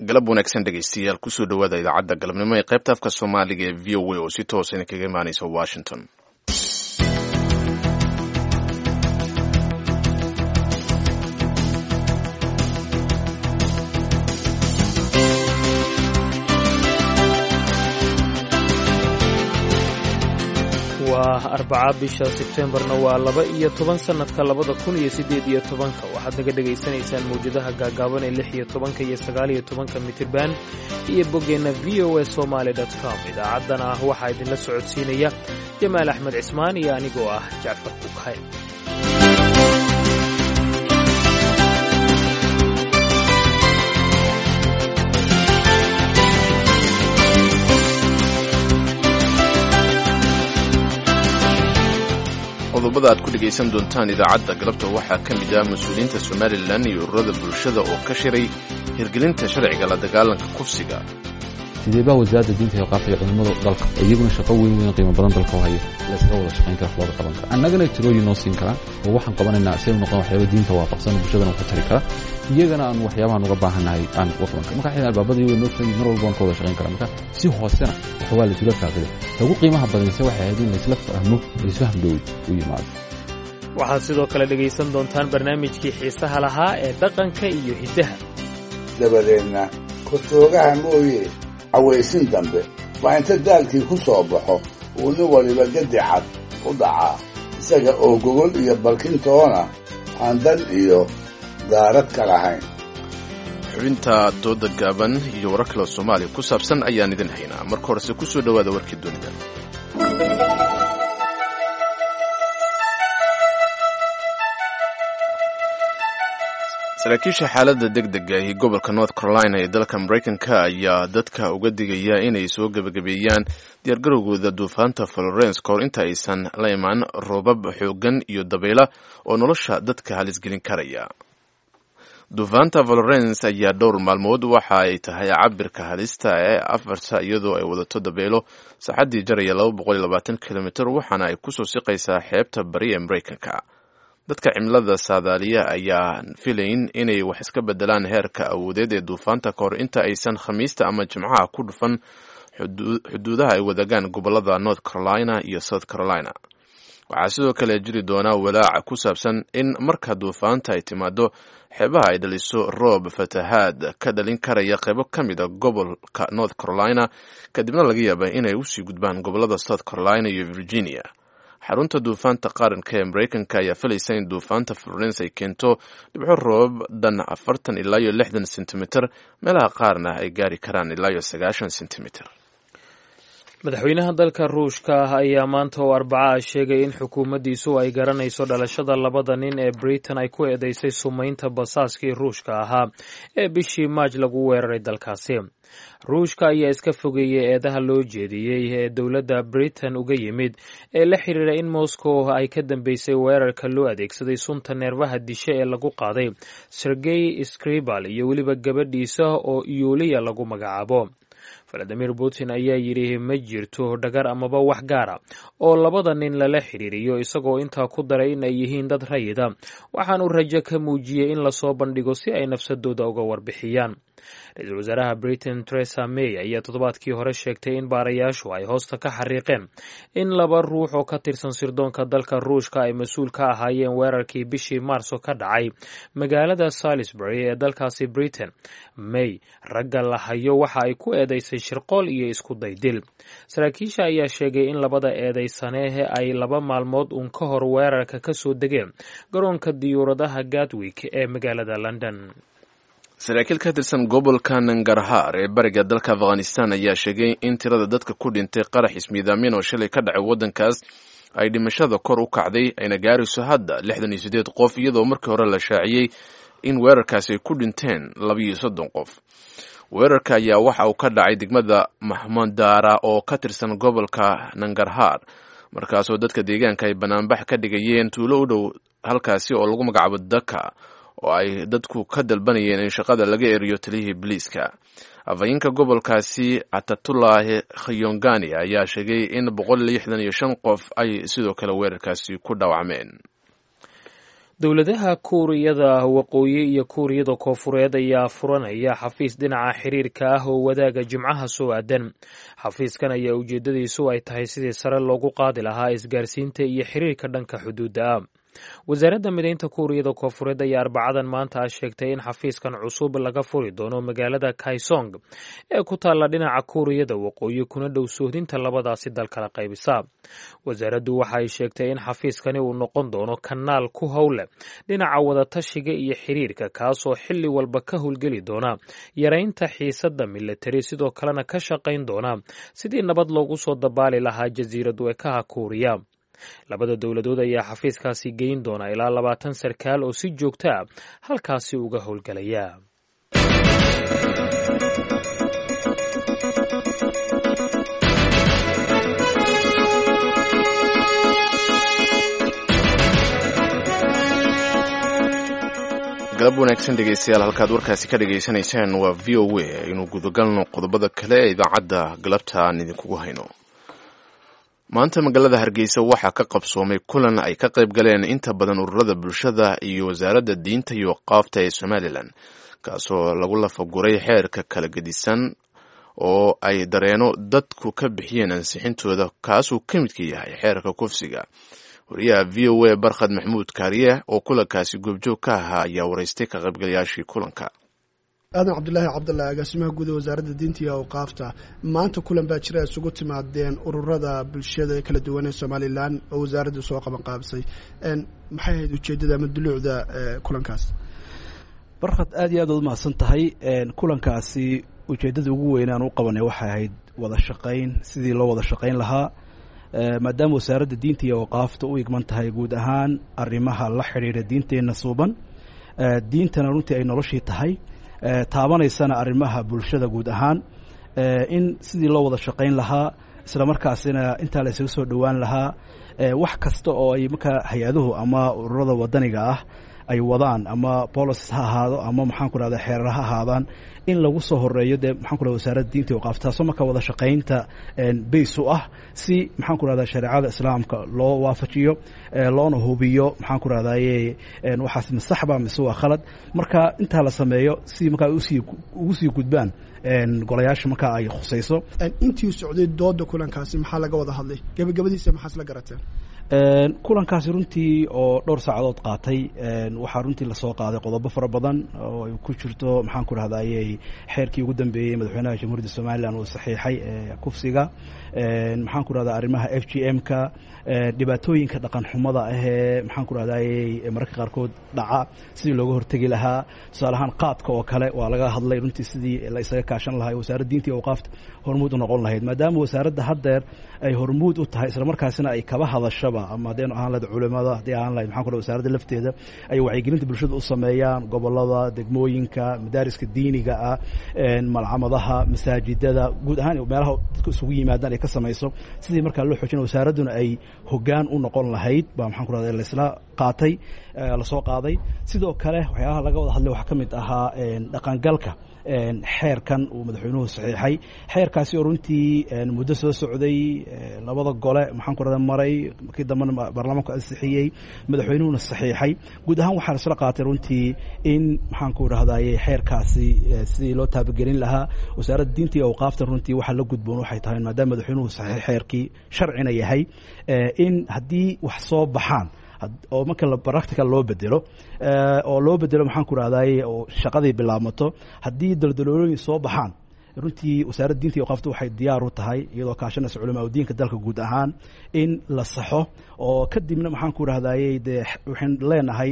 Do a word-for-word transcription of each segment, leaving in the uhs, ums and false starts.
Galab wanaagsan, dhegeystayaal. Kusoo dhawaada idaacadda galabnimo ee qaybta afka Soomaaliga ee V O A oo si toosa idinkaga imaaneysa Washington. Waa Arbaca, bisha Sebteembarna waa laba iyo toban, sannadka labada kun iyo siddeed iyo tobanka. Waxaad naga dhegaysanaysaan mawjadaha gaagaaban ee lix iyo tobanka iyo sagaal iyo tobanka mitirban iyo boggeenna V O A Somaly com. Idaacaddana ah waxaa idinla socodsiinaya Jamaal Axmed Cismaan iyo anigoo ah Jacfar Kukhay. Qodobada aad ku dhegaysan doontaan idaacadda galabta waxaa ka mid ah mas-uuliyiinta Somalilan iyo ururada bulshada oo ka shiray hirgelinta sharciga la dagaalanka kufsiga. Sidee baa wasaaradda diinta iyo qaabka iyo culimmada dalka, iyaguna shaqo weyn weyn qiimo badan dalka u haya, la iskaga wada shaqayn kara, wax looga qaban kara, annagana tirooyin noo siin karaa oo waxaan qabanaynaa si ay u noqon waxyaaba diinta waafaqsan, bulshadana wax u tari kara, iyagana aan waxyaabahan uga baahannahay aan uga qaban kara? Marka xidhan albaabada iyago noo furan, mar walba waan ka wada shaqayn karaa. Marka si hoosena wax waa la isula faaqiday. Ta ugu qiimaha badanse waxay ahayd in laisla fahmo, laisfaham dhow u yimaado. Waxaad sidoo kale dhegaysan doontaan barnaamijkii xiisaha lahaa ee dhaqanka iyo hiddaha. Dabadeedna kortoogaha mooye, cawaysin dambe waa inta daalkii ku soo baxo uu nin waliba gadi cad u dhacaa, isaga oo gogol iyo barkintoona aan dan iyo daarad ka lahayn. Xubinta dooda gaaban iyo warar kale Soomaaliya ku saabsan ayaan idin haynaa. Marka horese kusoo dhowaada warkii dunida. Saraakiisha xaaladda deg dega ee gobolka North Carolina ee dalka Maraykanka ayaa dadka uga digaya inay soo gebagabeeyaan diyaargarowgooda duufaanta Florence kahor inta aysan la imaan roobab xooggan iyo dabayla oo nolosha dadka halisgelin karaya. Duufaanta Florence ayaa dhowr maalmood waxa ay tahay cabirka halista ee afarta, iyadoo ay wadato dabeelo saacaddii jaraya laba boqol iyo labaatan kilomitr, waxaana ay kusoo siqaysaa xeebta bari ee Maraykanka. Dadka cimilada saadaaliya ayaa filayn inay wax iska bedelaan heerka awoodeed ee duufaanta kahor inta aysan Khamiista ama Jimcaha ku dhufan xuduudaha ay wadaagaan gobolada North Carolina iyo South Carolina. Waxaa sidoo kale jiri doonaa walaac ku saabsan in marka duufaanta ay timaado xeebaha ay dhaliso roob fatahaad ka dhalin karaya qaybo ka mid a gobolka North Carolina, kadibna laga yaaba inay usii gudbaan gobolada South Carolina iyo Virginia. Xarunta duufaanta qaranka ee Maraykanka ayaa filaysa in duufaanta Florence ay keento dhibco roobab dhan afartan ilaa iyo lixdan sentimitir, meelaha qaarna ay gaari karaan ilaa iyo sagaashan sentimitir. Madaxweynaha dalka Ruushka ah ayaa maanta oo Arbaca ah sheegay in xukuumaddiisu ay garanayso dhalashada labada nin ee Britain ay ku eedeysay sumaynta basaaskii Ruushka ahaa ee bishii Maaj lagu weeraray dalkaasi. Ruushka ayaa iska fogeeyey eedaha loo jeediyey ee dowladda Britain uga yimid ee la xiriira in Moscow ay ka dambeysay weerarka loo adeegsaday sunta neerfaha dishe ee lagu qaaday Sergey Skripal iyo weliba gabadhiisa oo Yuliya lagu magacaabo. Valadimir Putin ayaa yidhi ma jirto dhagar amaba wax gaara oo labada nin lala xiriiriyo, isagoo intaa ku daray in ay yihiin dad rayida. Waxaanu rajo ka muujiyey in lasoo bandhigo si ay nafsadooda uga warbixiyaan. Ra-iisul wasaaraha Britain Theresa May ayaa toddobaadkii hore sheegtay in baarayaashu ay hoosta ka xariiqeen in laba ruux oo ka tirsan sirdoonka dalka Ruushka ay mas-uul ka ahaayeen weerarkii bishii Maarso ka dhacay magaalada Salisbury ee dalkaasi Britain. May ragga la hayo waxa ay ku eedeysay shirqool iyo isku daydil. Saraakiisha ayaa sheegay in labada eedeysanehe ay laba maalmood uun ka hor weerarka ka soo degeen garoonka diyuuradaha Gatwick ee magaalada London. Saraakiil ka tirsan gobolka Nangarhar ee bariga dalka Afghanistan ayaa sheegay in tirada dadka ku dhintay qarax ismiidaamin oo shalay ka dhacay waddankaas ay dhimashada kor u kacday, ayna gaarayso hadda lixdan iyo siddeed qof, iyadoo markii hore la shaaciyey in weerarkaasi ay ku dhinteen labaiyo soddon qof. Weerarka ayaa waxa uu ka dhacay degmada Mahmandara oo ka tirsan gobolka Nangarhar, markaasoo dadka deegaanka ay banaanbax ka dhigayeen tuulo u dhow halkaasi oo lagu magacaabo Daka, oo ay dadku ka dalbanayeen in shaqada laga eriyo taliyihii biliiska. Afhayeenka gobolkaasi Atatulahi Khiyongani ayaa sheegay in boqol lixdan iyo shan qof ay sidoo kale weerarkaasi ku dhaawacmeen. Dowladaha Kuuriyada Waqooyi iyo Kuuriyada Koofureed ayaa furanaya xafiis dhinaca xiriirka ah oo wadaaga Jimcaha soo aadan. Xafiiskan ayaa ujeedadiisu ay tahay sidii sare loogu qaadi lahaa isgaarsiinta iyo xiriirka dhanka xuduudda ah. Wasaaradda Mideynta Kuuriyada Koofureed ayaa Arbacadan maanta ah sheegtay in xafiiskan cusub laga furi doono magaalada Kaisong ee ku taalla dhinaca Kuuriyada Waqooyi, kuna dhow suuhdinta labadaasi dal kala qaybisa. Wasaaraddu waxa ay sheegtay in xafiiskani uu noqon doono kanaal ku howleh dhinaca wadatashiga iyo xiriirka, kaasoo xilli walba ka howlgeli doona yaraynta xiisadda militari, sidoo kalena ka shaqayn doona sidii nabad loogu soo dabaali lahaa jasiirad weekaha Kuuriya. Labada dowladood ayaa xafiiskaasi geyn doona ilaa labaatan sarkaal oo si joogto ah halkaasi uga howlgelaya. Galab wanaagsan dhegeystayaal, halkaad warkaasi ka dhegaysanaysaan waa V O A. Aynu gudagalno qodobada kale ee idaacadda galabta aan idinkugu hayno. Maanta magaalada Hargeysa waxaa ka qabsoomay kulan ay ka qayb galeen inta badan ururada bulshada iyo wasaaradda diinta iyo qaafta ee Somalilan, kaasoo lagu lafaguray xeerka kala gedisan oo ay dareeno dadku ka bixiyeen ansixintooda, kaasuu ka midka yahay xeerka kufsiga. Wariyaha V O A Barkhad Maxmuud Kaariye oo kulankaasi goobjoog ka ahaa ayaa waraystay ka qaybgalayaashii kulanka. Aadan Cabdulaahi Cabdallah, agaasimaha guud ee wasaaradda diinta iyo awqaafta, maanta kulan baa jira isugu timaadeen ururada bulshada kala duwan ee Somalilan oo wasaaraddu soo qaban qaabisay. Maxay ahayd ujeeddada ama duluucda kulankaas? Barkhad, aad iyo aad ood umahadsan tahay. Kulankaasi ujeeddada ugu weyn aan u qabanay waxay ahayd wada shaqayn, sidii loo wada shaqayn lahaa, maadaama wasaaradda diinta iyo awqaafta u igman tahay guud ahaan arrimaha la xidhiidha diinteenna suuban, diintana runtii ay noloshii tahay, taabanaysana arrimaha bulshada guud ahaan, in sidii loo wada shaqayn lahaa, isla markaasina intaa la isaga soo dhowaan lahaa, wax kasta oo ay markaa hay-aduhu ama ururada wadaniga ah ay wadaan, ama policies ha ahaado ama maxaan ku rahda xeerar ha ahaadaan, in lagu soo horeeyo dee maxaan ku rahda wasaaradda diinta iyo awqaafta, taasoo marka wada shaqaynta base u ah, si maxaan ku rahda shareecada islaamka loo waafajiyo, loona hubiyo maxaan ku rahdaye waxaas ma saxba mise waa khalad. Marka intaa la sameeyo si markaa usii ugu sii gudbaan golayaasha markaa ay khusayso. Intii socday dooda kulankaasi maxaa laga wada hadlay? Gabagabadiisa maxaas la garateen? Kulankaasi runtii oo dhowr saacadood qaatay, waxaa runtii lasoo qaaday qodobo fara badan oo ay ku jirto maxaan ku rahdaayey xeerkii ugu dambeeyey madaxweynaha Jamhuuriyadda Somalilan uu saxiixay kufsiga, maxaan ku rahdaa arrimaha F G M ka, dhibaatooyinka dhaqan xumada ahee maxaan ku rahdaayey mararka qaarkood dhaca sidii looga hortegi lahaa. Tusaale ahaan qaadka oo kale waa laga hadlay runtii, sidii la isaga kaashan lahaa wasaaradda diinta iyo awqaafta hormuud u noqon lahayd, maadaama wasaaradda haddeer ay hormuud u tahay isla markaasina ay kaba hadashaba, ama haddaynu ahaan lahayd culimada, haddii ahaan lahayd maxaan ku raha wasaaradda lafteeda, ay wacyigelinta bulshada u sameeyaan gobollada, degmooyinka, madaariska diiniga ah, malcamadaha, masaajidada, guud ahaan meelaha dadku isugu yimaadaan ay ka samayso, sidii markaa loo xoojina wasaaradduna ay hoggaan u noqon lahayd baa maxaan ku rahda laisla qaatay, lasoo qaaday. Sidoo kale waxyaabaha laga wada hadlay waxaa ka mid ahaa dhaqangalka xeerkan uu madaxweynuhu saxiixay, xeerkaasi oo runtii muddo soo socday, labada gole maxaan ku rahda maray, markii dambena baarlamaanku ansixiyey, madaxweynuhuna saxiixay. Guud ahaan waxaa isla qaatay runtii in maxaan ku rahdaye xeerkaasi sidii loo taabagelin lahaa. Wasaaradda diinta iyo awqaaftan runtii waxaa la gudboon waxay tahay, maadaama madaxweynuhu saxiix xeerkii sharcina yahay, in haddii wax soo baxaan oo marka practical loo bedelo oo loo bedelo maxaan ku rahdaye oo shaqadii bilaabmato, haddii daldaloolooyin soo baxaan, runtii wasaaradda diinta iyo awqaafta waxay diyaar u tahay, iyadoo kaashanaysa culamaa udiinka dalka guud ahaan, in la saxo oo kadibna maxaan ku rahdaye dee waxaynu leenahay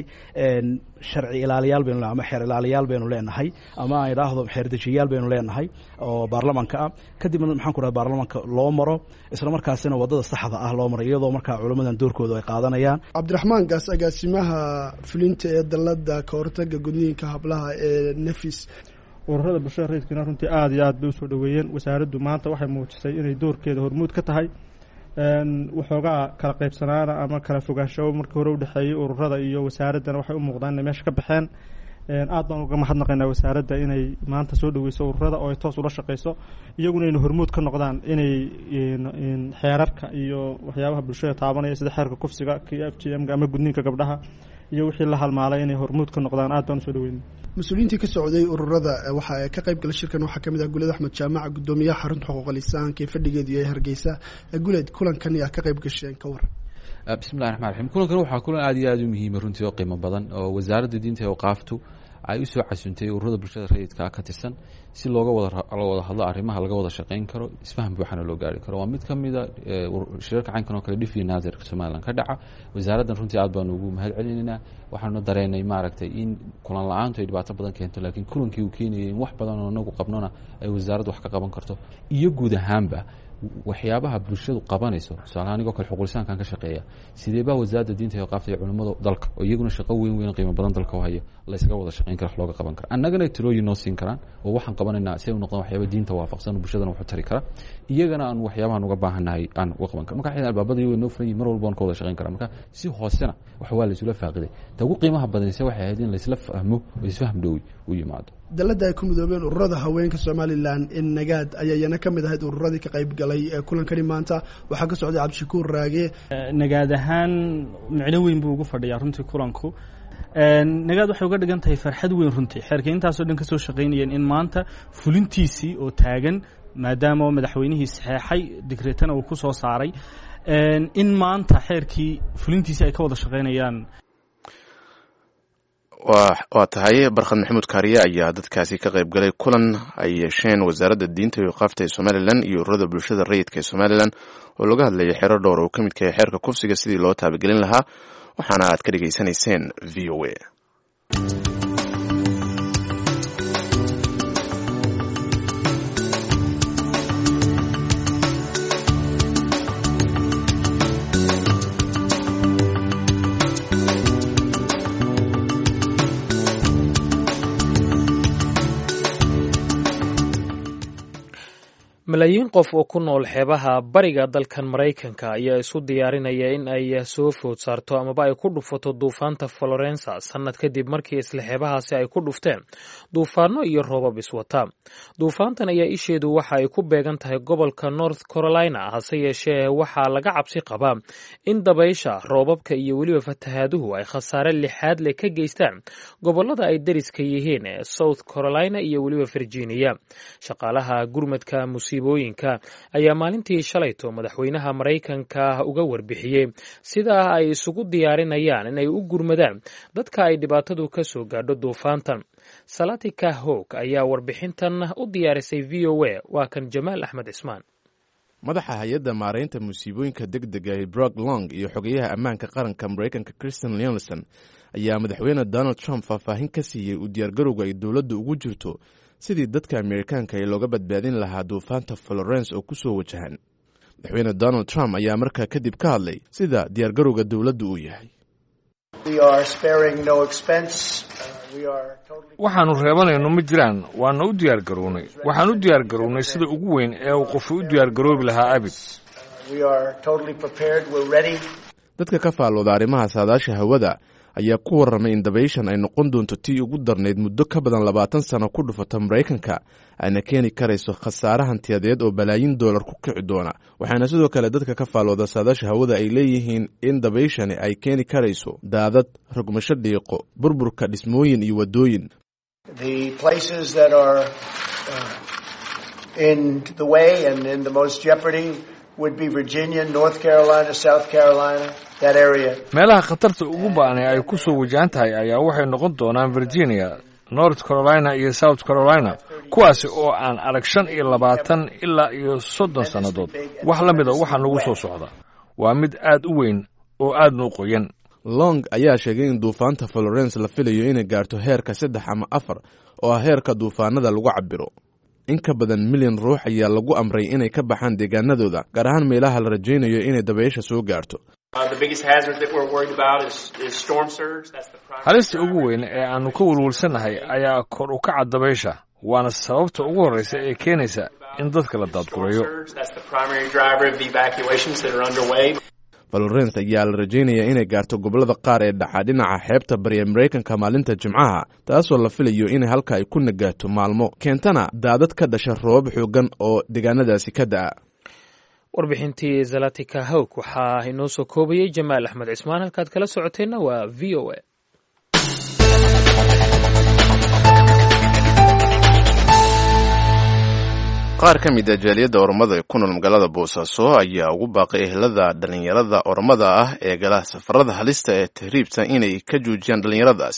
sharci ilaaliyaal baynu ama xeer ilaaliyaal baynu leenahay, ama aan idhaahdo xeer dejiyaal baynu leenahay oo baarlamanka ah, kadibna maxaan ku rahda baarlamanka loo maro, isla markaasina waddada saxda ah loo maro, iyadoo markaa culamadan doorkooda ay qaadanayaan. Cabdiraxmaan Gaas, agaasimaha fulinta ee dalladda ka hortagga gudniinka hablaha ee Nafis. Ururada bulshada rayidkiina runtii aada iyo aad bay usoo dhoweeyeen. Wasaaraddu maanta waxay muujisay inay doorkeeda hormuud ka tahay. Waxoogaa kala qaybsanaana ama kala fogaansho markii hore udhexeeyey ururada iyo wasaaraddana waxay u muuqdaan inay meesha ka baxeen. Aad baan uga mahadnaqaynaa wasaaradda inay maanta soo dhoweyso ururada oo ay toos ula shaqeyso, iyaguna inay hormuud ka noqdaan inay xeerarka iyo waxyaabaha bulshada taabanaya sida xeerka kufsiga, k F G M-ga ama gudniinka gabdhaha iyo wixii la halmaalay inay hormuud ka noqdaan. Aad baan usoo dhaweynay. Mas-uuliyiintii ka socday ururada waxa ka qayb galay shirkan waxaa kamid ah Guleed Axmed Jaamac, guddoomiyaha xarunta xuquuqul insaanka ee fadhigeedu yahay Hargeysa. Guleed, kulankan yaa ka qayb gasheen, ka waran? Bismillahi raxmaan raxiim. Kulankan waxaa kulan aad iyo aad u muhiima runtii oo qiimo badan oo wasaaradda diinta ee awqaaftu ay u soo casuntay ururada bulshada rayidka ka tirsan si looga wada wada hadlo arrimaha laga wada shaqayn karo, isfaham buuxana loo gaari karo. Waa mid ka mida shirarka caynkan oo kale dhif iyo naadirka Somaliland ka dhaca. Wasaaraddan runtii aad baanu ugu mahad celinaynaa. Waxaanu dareenay maaragtay in kulan la-aantu ay dhibaato badan keento, laakiin kulankii uu keenayay in wax badan oo inagu qabnona ay wasaaraddu wax ka qaban karto iyo guud ahaanba waxyaabaha bulshadu qabanayso. Tusaalahaan anigoo kale xuquulisaankan ka shaqeeya, sidee baa wasaaradda diinta iyo awqaafta iyo culimmada dalka oo iyaguna shaqo weyn weyn qiimo badan dalka u haya la ysaga wada shaqayn kara, wax looga qaban kara, annagana tirooyin noo siin karaan oo waxaan qabanaynaa si ay u noqdaan waxyaaba diinta waafaqsan oo bulshadana waxu tari kara, iyagana aan waxyaabahan uga baahannahay aan uga qaban karo. Marka xidhan albaabada iyago noo furan yihin, mar walba waan ka wada shaqayn karaa. Marka si hoosena wax waa la isula faaqiday. Ta ugu qiimaha badanise waxay ahayd in laisla fahmo oo isfaham dhowi u yimaado. Dalladda ay ku midoobeen ururada haweenka Somalilan in Nagaad ayaa iyana ka mid ahayd ururadii ka qayb galay kulankani maanta. Waxaa ka socday Cabdishakuur Raage. Nagaad ahaan micno weyn buu ugu fadhiyaa runtii kulanku. Nagaad waxay uga dhigan tahay farxad weyn runtii, xeerka intaasoo dhan ka soo shaqaynayeen in maanta fulintiisii oo taagan, maadaama madaxweynihii saxeexay digreetana uu ku soo saaray, in maanta xeerkii fulintiisii ay ka wada shaqaynayaan. Waa tahay, Barkhad Maxamuud Kaariye ayaa dadkaasi ka qayb galay kulan ay yeesheen wasaaradda diinta iyo awqaafta ee Somalilan iyo ururada bulshada rayidka ee Somalilan oo laga hadlayay xeero dhowr oo ka midka yahay xeerka kufsiga sidii loo taabagelin lahaa, waxaana aad ka dhegaysanayseen V O A. Malaayiin qof oo ku nool xeebaha bariga dalkan Maraykanka ayaa isu diyaarinaya in ay soo food saarto amaba ay ku dhufato duufaanta Florensa, sannad kadib markii isla xeebahaasi ay ku dhufteen duufaano iyo roobab iswata. Duufaantan ayaa isheedu waxa ay ku beegan tahay gobolka North Carolina, hase yeeshee waxaa laga cabsi qabaa in dabaysha, roobabka iyo weliba fatahaaduhu ay khasaare lixaad leh ka geystaan gobolada ay deriska yihiin ee South Carolina iyo weliba Virginia. Shaqaalaha gurmadka musiibooyinka ayaa maalintii shalayto madaxweynaha Maraykanka uga warbixiyey sidaa ay isugu diyaarinayaan inay u gurmadaan dadka ay dhibaatadu ka soo gaadho duufaantan. Salatika Hog ayaa warbixintan u diyaarisay V O A. Waa kan Jamaal Axmed Cismaan. Madaxa hay-adda maaraynta musiibooyinka deg dega ee Brog Long iyo xogeyaha ammaanka qaranka Maraykanka Christian Leonson ayaa madaxweyne Donald Trump faahfaahin ka siiyey u diyaargarowga ay dowladdu ugu jirto sidii dadka Amerikaanka ee looga badbaadin lahaa duufaanta Florence oo ku soo wajahan. Madaxweyne Donald Trump ayaa markaa kadib ka hadlay sida diyaargarowga dowladdu uu yahay. Waxaannu reebanayno ma jiraan. Waana u diyaargarownay. Waxaan u diyaargarownay sida ugu weyn ee uu qofu u diyaargaroobi lahaa abid. Dadka ka faallooda arrimaha saadaasha hawada ayaa ku warramay in dabayshan ay noqon doonto tii ugu darnayd muddo ka badan labaatan sano ku dhufata Maraykanka, ayna keeni karayso khasaare hantiyadeed oo balaayin doolar ku kici doona. Waxaana sidoo kale dadka ka faallooda saadaasha hawada ay leeyihiin in dabayshani ay keeni karayso daadad, rogmasho dhiiqo, burburka dhismooyin iyo waddooyin. Meelaha khatarta ugu ba'anay ay ku soo wajahan tahay ayaa waxay noqon doonaan Virginia, North Carolina iyo South Carolina, kuwaasi oo aan arag shan iyo labaatan ilaa iyo soddon sannadood wax la mida. Waxaa nagu soo socda waa mid aad u weyn oo aadna u qoyan. Long ayaa sheegay in duufaanta Florence la filayo inay gaarto heerka saddex ama afar oo ah heerka duufaanada lagu cabiro. In ka badan milyan ruux ayaa lagu amray inay ka baxaan deegaanadooda, gaar ahaan meelaha la rajaynayo inay dabaysha soo gaarto. Halista ugu weyn ee aannu ka welwelsannahay ayaa kor u kaca dabaysha, waana sababta ugu horraysa ee keenaysa in dadka la daadgureeyo. Florence ayaa la rajaynayaa inay gaarto gobollada qaar ee dhaca dhinaca xeebta bari ee Maraykanka maalinta Jimcaha, taasoo la filayo inay halka ay ku nagaato maalmo, keentana daadad ka dhasha roobab xooggan oo deegaanadaasi ka da'a. Warbixintii Zalatika Hawg waxaa inoo soo koobayey Jamaal Axmed Cismaan. Halkaad kala socoteenna waa V O A. Qaar ka mid a jaaliyadda Oromada ee ku nool magaalada Boosaaso ayaa ugu baaqay ehelada dhalinyarada Oromada ah ee gala safarada halista ee tahriibta inay ka joojiyaan dhalinyaradaas.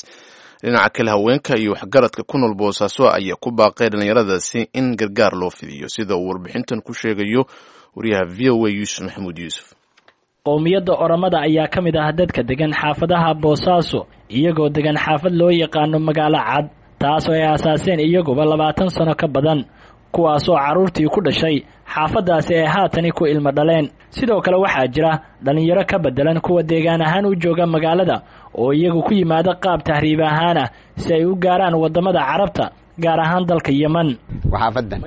Dhinaca kale, haweenka iyo waxgaradka ku nool Boosaaso ayaa ku baaqay dhalinyaradaasi in gargaar loo fidiyo, sida uu warbixintan ku sheegayo wariyaha V O A Yuusuf Maxamuud Yuusuf. Qowmiyadda Oromada ayaa ka mid ah dadka degan xaafadaha Boosaaso, iyagoo degan xaafad loo yaqaano Magaalo Cad, taasoo ay aasaaseen iyaguba labaatan sano ka badan, kuwaasoo carruurtii ku dhashay xaafaddaasi ay haatani ku ilmo dhaleen. Sidoo kale waxaa jira dhallinyaro ka beddelan kuwa deegaan ahaan u jooga magaalada oo iyagu ku yimaada qaab tahriib ahaan ah si ay u gaaraan waddamada Carabta, gaar ahaan dalka Yeman. Xaafadan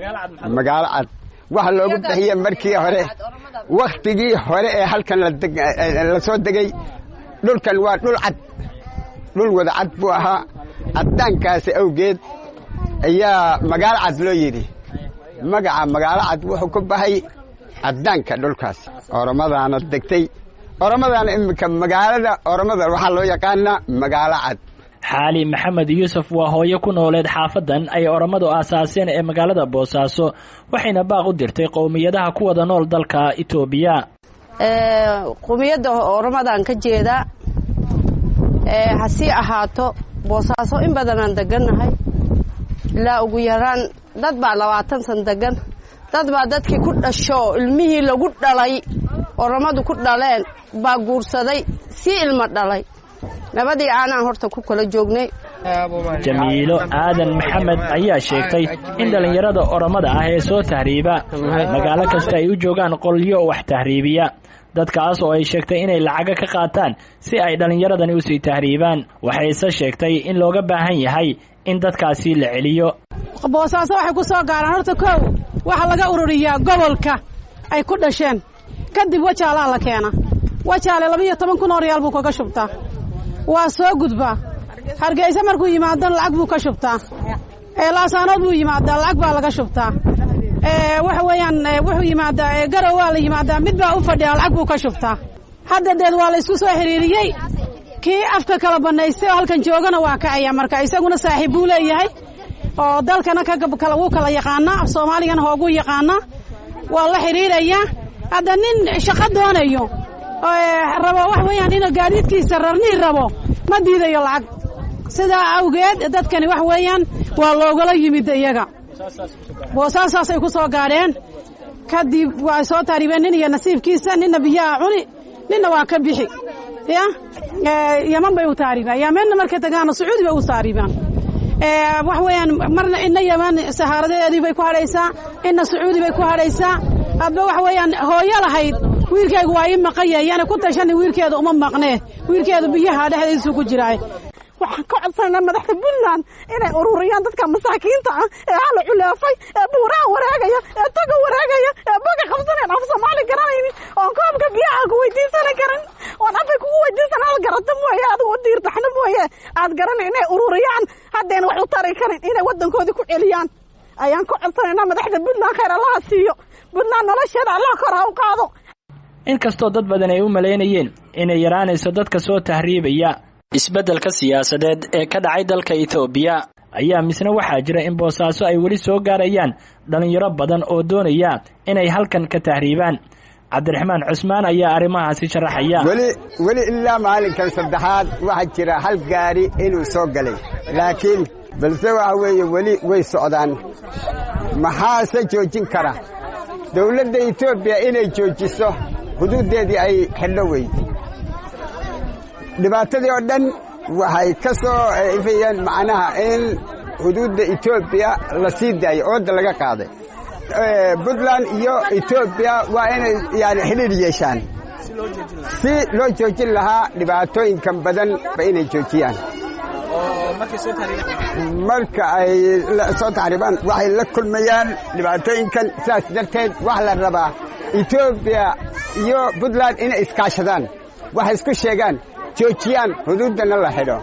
Magaalo Cad waxa loogu bixiyey markii hore, wakhtigii hore ee halkan la soo degay, dhulkan waa dhul cad, dhul wada cad buu ahaa. Caddaankaasi awgeed ayaa Magaalo Cad loo yidhi. Magaca Magaalo Cad wuxuu ku baxay caddaanka dhulkaas. Oromadaana degtay, Oromadaana iminka magaalada Oromada waxaa loo yaqaanaa Magaalo Cad. Xaali Maxamed Yuusuf waa hooyo ku nooleed xaafadan ay Oromadu aasaaseen ee magaalada Boosaaso, waxayna baaq u dirtay qowmiyadaha ku wada nool dalka Itoobiya. Qowmiyadda Oromadaan ka jeedaa, hasii ahaato Boosaaso in badanaan degannahay, ilaa ugu yaraan dad baa labaatan san degan, dad baa dadkii ku dhasho ilmihii lagu dhalay Oromadu ku dhaleen baa guursaday si ilmo dhalay. Nabadii aanaan horta ku kala joognay. Jamiilo Aadan Maxamed ayaa sheegtay in dhallinyarada Oromada ah ee soo tahriiba magaalo kasta ay u joogaan qolyo wax tahriibiya, dadkaas oo ay sheegtay inay lacaga ka qaataan si ay dhallinyaradani usii tahriibaan. Waxayse sheegtay in looga baahan yahay in dadkaasi la celiyo. Boosaaso waxay ku soo gaaraan horta kow waxaa laga ururiyaa gobolka ay ku dhasheen, kadib Wajaalaa la keena. Wajaale laba iyo toban kun oo riyaal buu kaga shubtaa, waa soo gudbaa. Hargeysa markuu yimaadona lacag buu ka shubtaa, Laasaanood buu yimaadaa lacag baa laga shubtaa, waxa weeyaan wuxuu yimaadaa Garow waa la yimaadaa, mid baa u fadhiyaa lacag buu ka shubtaa. Hadda deed waa la isku soo xiriiriyey, kii afka kala bannaystay oo halkan joogana waa kacaya. Marka isaguna saaxiib buu leeyahay oo dalkana kakala wuu kala yaqaanaa, af Soomaaligana hooguu yaqaanaa, waa la xiriirayaa. Hadda nin shaqo doonayo rabo wax weeyaan inuu gaadiidkiisa rarnii rabo ma diidayo lacag. Sidaa awgeed dadkani wax weeyaan waa loogala yimid iyaga, Boosaasaasay ku soo gaadheen. Kadib waa soo taaribeen nin iyo nasiibkiisa, ninna biyaha cuni, ninna waa ka bixi ya. Yeman bay u taaribaan, Yemenna markay tagaana Sacuudi bay u taaribaan. Wax weeyaan marna inna Yeman sahaaradeedii bay ku hadhaysaa, inna Sacuudi bay ku hadhaysaa. Hadba wax weeyaan hooyo lahayd wiilkaygu waa ii maqan yahay, yaana ku tashani wiilkeeda uma maqnee, wiilkeedu biyaha dhexdiisu ku jiraay. Waxaan ka codsanaynaa madaxda Puntland inay ururiyaan dadka masaakiinta ah ee hala culeefay, ee buuraha wareegaya, ee toga wareegaya, ee boga qabsanayn, af Soomaali garanaynin, oon koobka biyaha ku weydiisan karin, oon afay kugu weydiisan aad garata mooye, adigu u diirtaxna mooye aad garanay, inay ururiyaan. Haddayna wax u tari karin inay waddankoodii ku celiyaan ayaan ka codsanaynaa madaxda Puntland. Khayr Allaha siiyo Puntland, nolosheeda Allah kor ha u qaado. Inkastoo dad badan ay u malaynayeen inay yaraanayso dadka soo tahriibaya isbeddelka siyaasadeed ee ka dhacay dalka Itoobiya, ayaa misna waxaa jira in Boosaaso ay weli soo gaarayaan dhallinyaro badan oo doonaya inay halkan ka tahriibaan. Cabdiraxmaan Cusmaan ayaa arrimahaasi sharaxaya. Weli weli ilaa maalinkan saddexaad waxaa jira hal gaari inuu soo galay, laakiin balse waxa weeye weli way socdaan. Maxaase joojin kara? Dawladda Etoobiya inay joojiso xuduuddeedii ay xidho wey. Dhibaatadii oo dhan waxay ka soo ifayeen macnaha in xuduudda Etoobiya la sii daayo, ooda laga qaaday. Puntland iyo Etoobiya waa inay yani xidhiir yeeshaan si loo joojin lahaa dhibaatooyinkan badan ba inay joojiyaan. Marka ay soo taxriibaan waxay la kulmayaan dhibaatooyinkan, sidaas darteed waxa la rabaa Etoobiya iyo Puntland inay iskaashadaan, waxay isku sheegaan, joojiyaan, xuduuddana la xidho.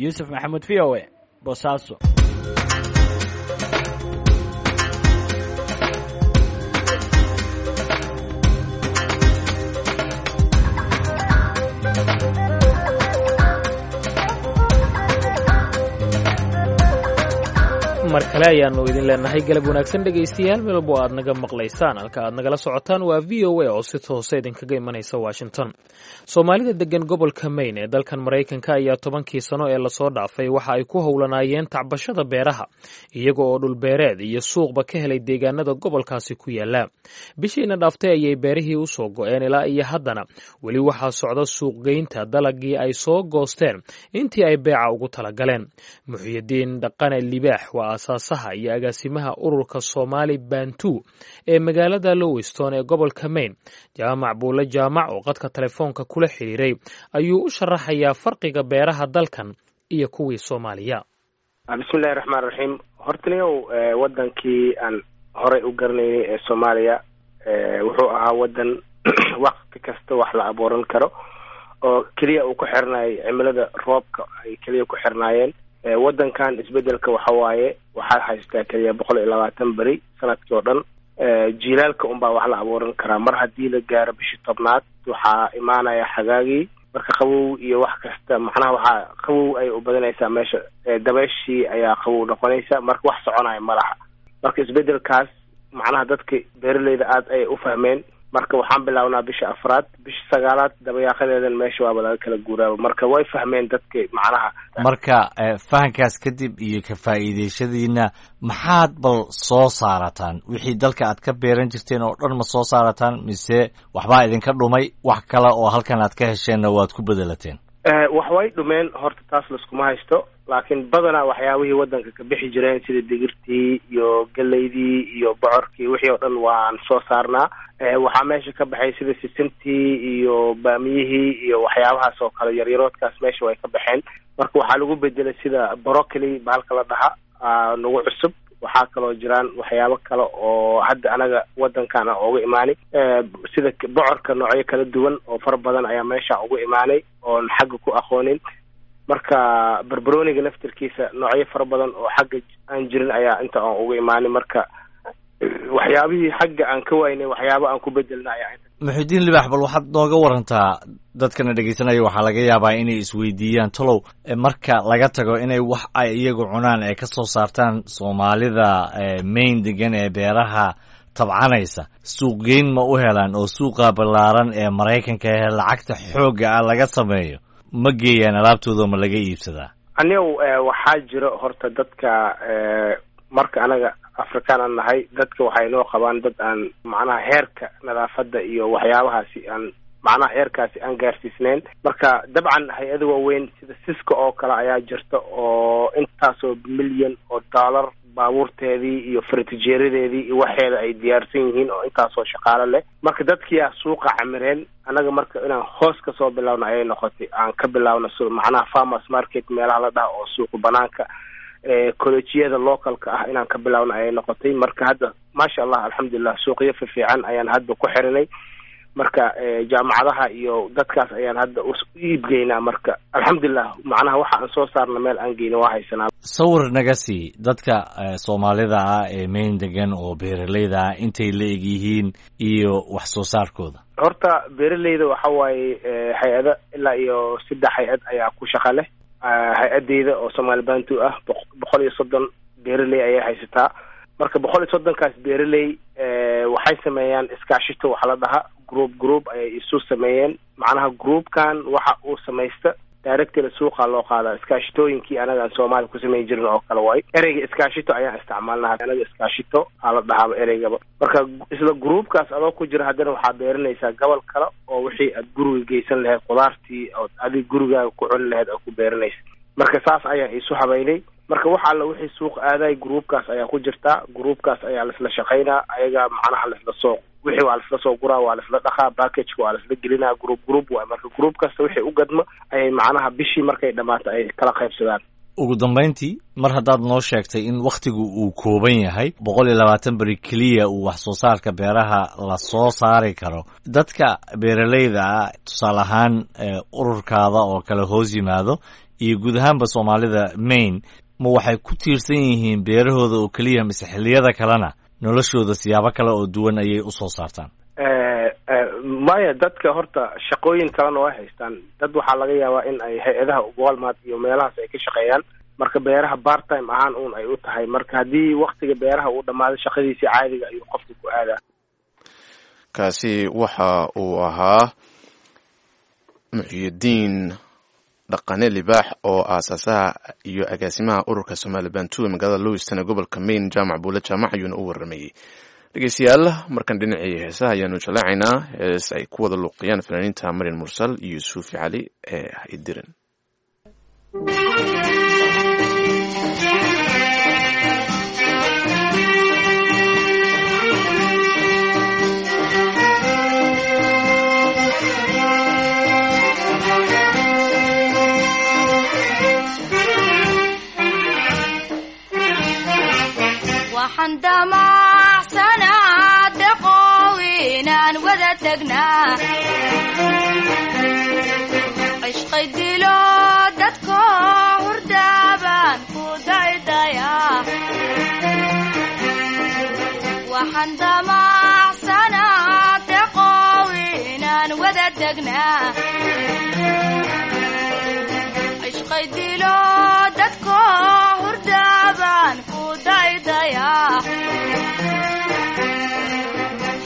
Yuusuf Maxamuud, V O A, Boosaaso. Mar kale ayaannu idin leenahay galab wanaagsan dhegaystayaal, meel walbo aad naga maqlaysaan. Halka aad nagala socotaan waa V O A oo si toosa idinkaga imanaysa Washington. Soomaalida degan gobolka Maine ee dalkan Maraykanka ayaa tobankii sano ee lasoo dhaafay waxa ay ku howlanaayeen tacbashada beeraha, iyaga oo dhulbeereed iyo suuqba ka helay deegaanada gobolkaasi ku yaala. Bishiina dhaaftay ayay beerihii usoo go'een, ilaa iyo haddana weli waxaa socda suuqgeynta dalagii ay soo goosteen intii ay beeca ugu talagaleen. Muxyidiin Dhaqane Libaax waa aasaasaha iyo agaasimaha ururka Soomaali Bantu ee magaalada Lewiston ee gobolka Maine. Jaamac Buule Jaamac oo qadka telefoonka kula xiriiray ayuu u sharaxayaa farqiga beeraha dalkan iyo kuwii Soomaaliya. Bismillahi raxmaan raxiim. Hortaniyow, wadankii aan horey u garanaynay ee Soomaaliya wuxuu ahaa wadan wakti kasta wax la abuuran karo oo keliya uu ku xirnaayay cimilada roobka ay keliya ku xirnaayeen. Wadankan isbedelka waxa waaye waxaad haystaa keliya boqol iyo labaatan beri sanadkii oo dhan. Jiilaalka unbaa wax la abuuran karaa. Mar haddii la gaaro bishii tobnaad waxaa imaanaya xagaagii, marka qabow iyo wax kasta, macnaha waxaa qabow ay u badanaysaa meesha, dabayshii ayaa qabow noqonaysa, marka wax soconaya ma laha. Marka isbedelkaas macnaha dadka beeraleyda aada ayay u fahmeen. Marka waxaan bilaabnaa bisha afraad, bisha sagaalaad dabayaaqadeedan meesha waaba laga kala guuraaba. Marka way fahmeen dadka macnaha. Marka fahankaas kadib iyo ka faa'iidayshadiina, maxaad bal soo saarataan? Wixii dalka aad ka beeran jirteen oo dhan ma soo saarataan, mise waxbaa idinka dhumay, wax kale oo halkan aad ka hesheenna waad ku bedelateen? Wax way dhumeen horta, taas laskuma haysto, laakiin badanaa waxyaabihii wadanka ka bixi jireen sida digirtii iyo galeydii iyo bocorkii, wixii oo dhan waan soo saarnaa. Waxaa meesha ka baxay sida sisintii iyo baamiyihii iyo waxyaabahaas oo kale, yaryaroodkaas meesha way ka baxeen. Marka waxaa lagu bedelay sida broccoli bahalka la dhaha nagu cusub. Waxaa kaloo jiraan waxyaabo kale oo hadda anaga wadankan aan uga imaanay, sida bocorka noocyo kala duwan oo fara badan ayaa meesha ugu imaanay oon xagga ku aqoonin. Marka barbarooniga laftirkiisa noocyo fara badan oo xagga aan jirin ayaa inta aan uga imaanay. Marka waxyaabihii xagga aan ka waynay waxyaabo aan ku bedelna ayaa inta. Muxidiin Libaax, bal waxaad nooga warantaa, dadkana dhegaysanaya waxaa laga yaabaa inay isweydiiyaan tolow, marka laga tago inay wax ay iyagu cunaan ee ka soo saartaan, Soomaalida Maine degan ee beeraha tabcanaysa suuqgeyn ma u helaan oo suuqa ballaaran ee Maraykanka ee lacagta xoogga ah laga sameeyo ma geeyaan alaabtooda, ma laga iibsadaa? Anigo waxaa jiro horta dadka, marka anaga Afrikaan aan nahay, dadka waxay noo qabaan dad aan macnaha heerka nadaafadda iyo waxyaabahaasi aan macnaha heerkaasi aan gaarsiisnayn. Marka dabcan hay-ada waaweyn sida Siska oo kale ayaa jirta oo intaasoo milyan oo dollar baabuurteedii iyo faratijeeradeedii iyo waxeeda ay diyaarsan yihiin oo intaasoo shaqaalo leh. Marka dadkiyaa suuqa camireen. Annaga marka inaan hoos kasoo bilaawno ayay noqotay, aan ka bilaawno macnaha farmers market meelaha la dhaha oo suuqa banaanka, collejiyada localka ah inaan ka bilaawno ayay noqotay. Marka hadda maasha Allah, alxamdulilah, suuqyo fifiican ayaan hadda ku xirinay. Marka jaamacadaha iyo dadkaas ayaan hadda u iibgeynaa. Marka alxamdulilah, macnaha waxa aan soo saarna meel aan geyna waa haysanaa. Sawir naga sii dadka Soomaalida ah ee Maine degan oo beeraleyda ah, intay la eg yihiin iyo wax soo saarkooda. Horta beeraleyda waxa waaye hay-ada ilaa iyo saddex hay-ad ayaa ku shaqa leh. Hay-adeyda oo Soomaali Bantu ah boqol iyo soddon beeraley ayay haysataa. Marka boqol iyo soddonkaas beeraley waxay sameeyaan iskaashito, waxa la dhaha group group ayay isu sameeyeen. Macnaha groupkan waxa uu samaysta directly suuqa loo qaadaa. Iskaashitooyinkii anaga aan Soomaaliya ku samayn jirin oo kale waay. Ereyga iskaashito ayaan isticmaalnaha anaga, iskaashito aa la dhahaaba ereygaba. Marka isla groupkaas adoo ku jira haddana waxaa beeranaysaa gobol kale oo wixii aad guriga geysan lahayd, khudaartii ood adig gurigaaga ku cuni lahayd aad ku beeranaysa. Marka saas ayaan isu habaynay. Marka wax alla wixii suuq aaday groupkaas ayaa ku jirtaa, groupkaas ayaa laisla shaqaynaa, ayagaa macnaha laisla soo wixii waa laisla soo guraa, waa laisla dhaqaa, packageka waa laisla gelinaa, group group waay. Marka group kasta wixii u gadmo ayay macnaha bishii markay dhammaato ay kala qaybsadaan. Ugu dambayntii, mar haddaad noo sheegtay in wakhtigu uu kooban yahay, boqol iyo labaatan beri keliya uu wax soo saarka beeraha la soo saari karo, dadka beeraleyda ah tusaale ahaan ururkaada oo kale hoos yimaado iyo guud ahaanba Soomaalida Maine, ma waxay ku tiirsan yihiin beerahooda oo keliya, mise xilliyada kalena noloshooda siyaabo kale oo duwan ayay usoo saartaan? Maya, dadka horta shaqooyin kalena way haystaan. Dad waxaa laga yaabaa in ay hay-adaha Walmart iyo meelahaas ay ka shaqeeyaan. Marka beeraha part time ahaan uun ay u tahay. Marka haddii waktiga beeraha uu dhamaado, shaqadiisii caadiga ayuu qofka ku aadaa. Kaasi waxa uu ahaa Muxyidiin Dhaqane Libaax oo aasaasaha iyo agaasimaha ururka Somaali Bantu ee magaalada Lewiston ee gobolka Maine. Jaamac Buule Jaamac ayuuna u waramayey. Dhegeystayaal, markan dhinacii heesaha ayaanu jaleecaynaa, hees ay ku wada luuqiyaan fanaaniinta Marin Mursal iyo Suufi Cali ee Haydirin. Waxaan damacsanaa deqow inaan wada tagnaa, cishqay dilo dadko hurdaabaan ku daydayaa. Waxaan damacsanaa deqow inaan wada tagnaa, cishqay dilo dadko hurdaabaan ku daydayaa.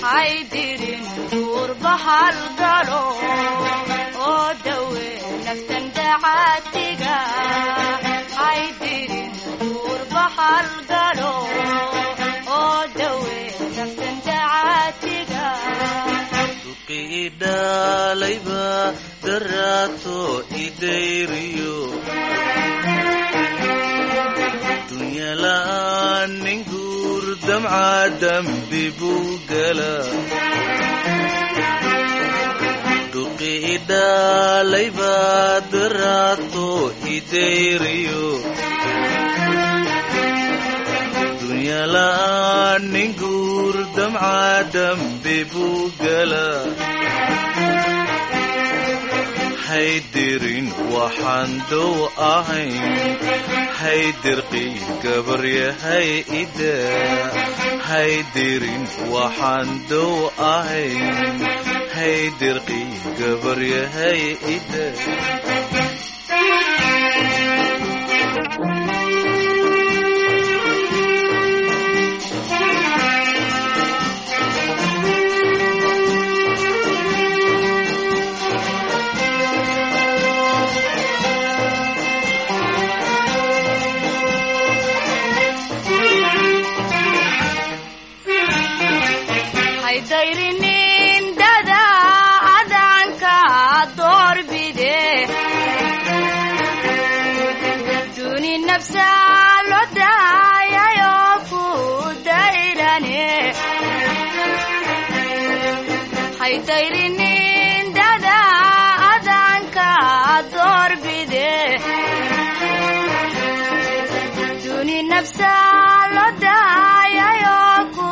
Haydirin duurba halgalo oo dawe naftan dacaatiga. Haydirin duurba halgalo oo dawe naftan dacaatiga. Duqidhalayba daraato idayriyo dunyala'aan nin guur damca dambi buu gala. Duqidhalayba daraato idayriyo dunyala'aan nin guur damca dambi buu gala. Haydirin waxaan dow ahayn, haydirqii gabaryahay ida. Haydirin waxaan dow ahayn, haydirqii gabaryahay ida. Haydayrinin dada adanka doorbide, duni nafsa loo daayayo ku dayrane. Haydayrinin dada adanka doorbide, duni nafsa loo daayayo ku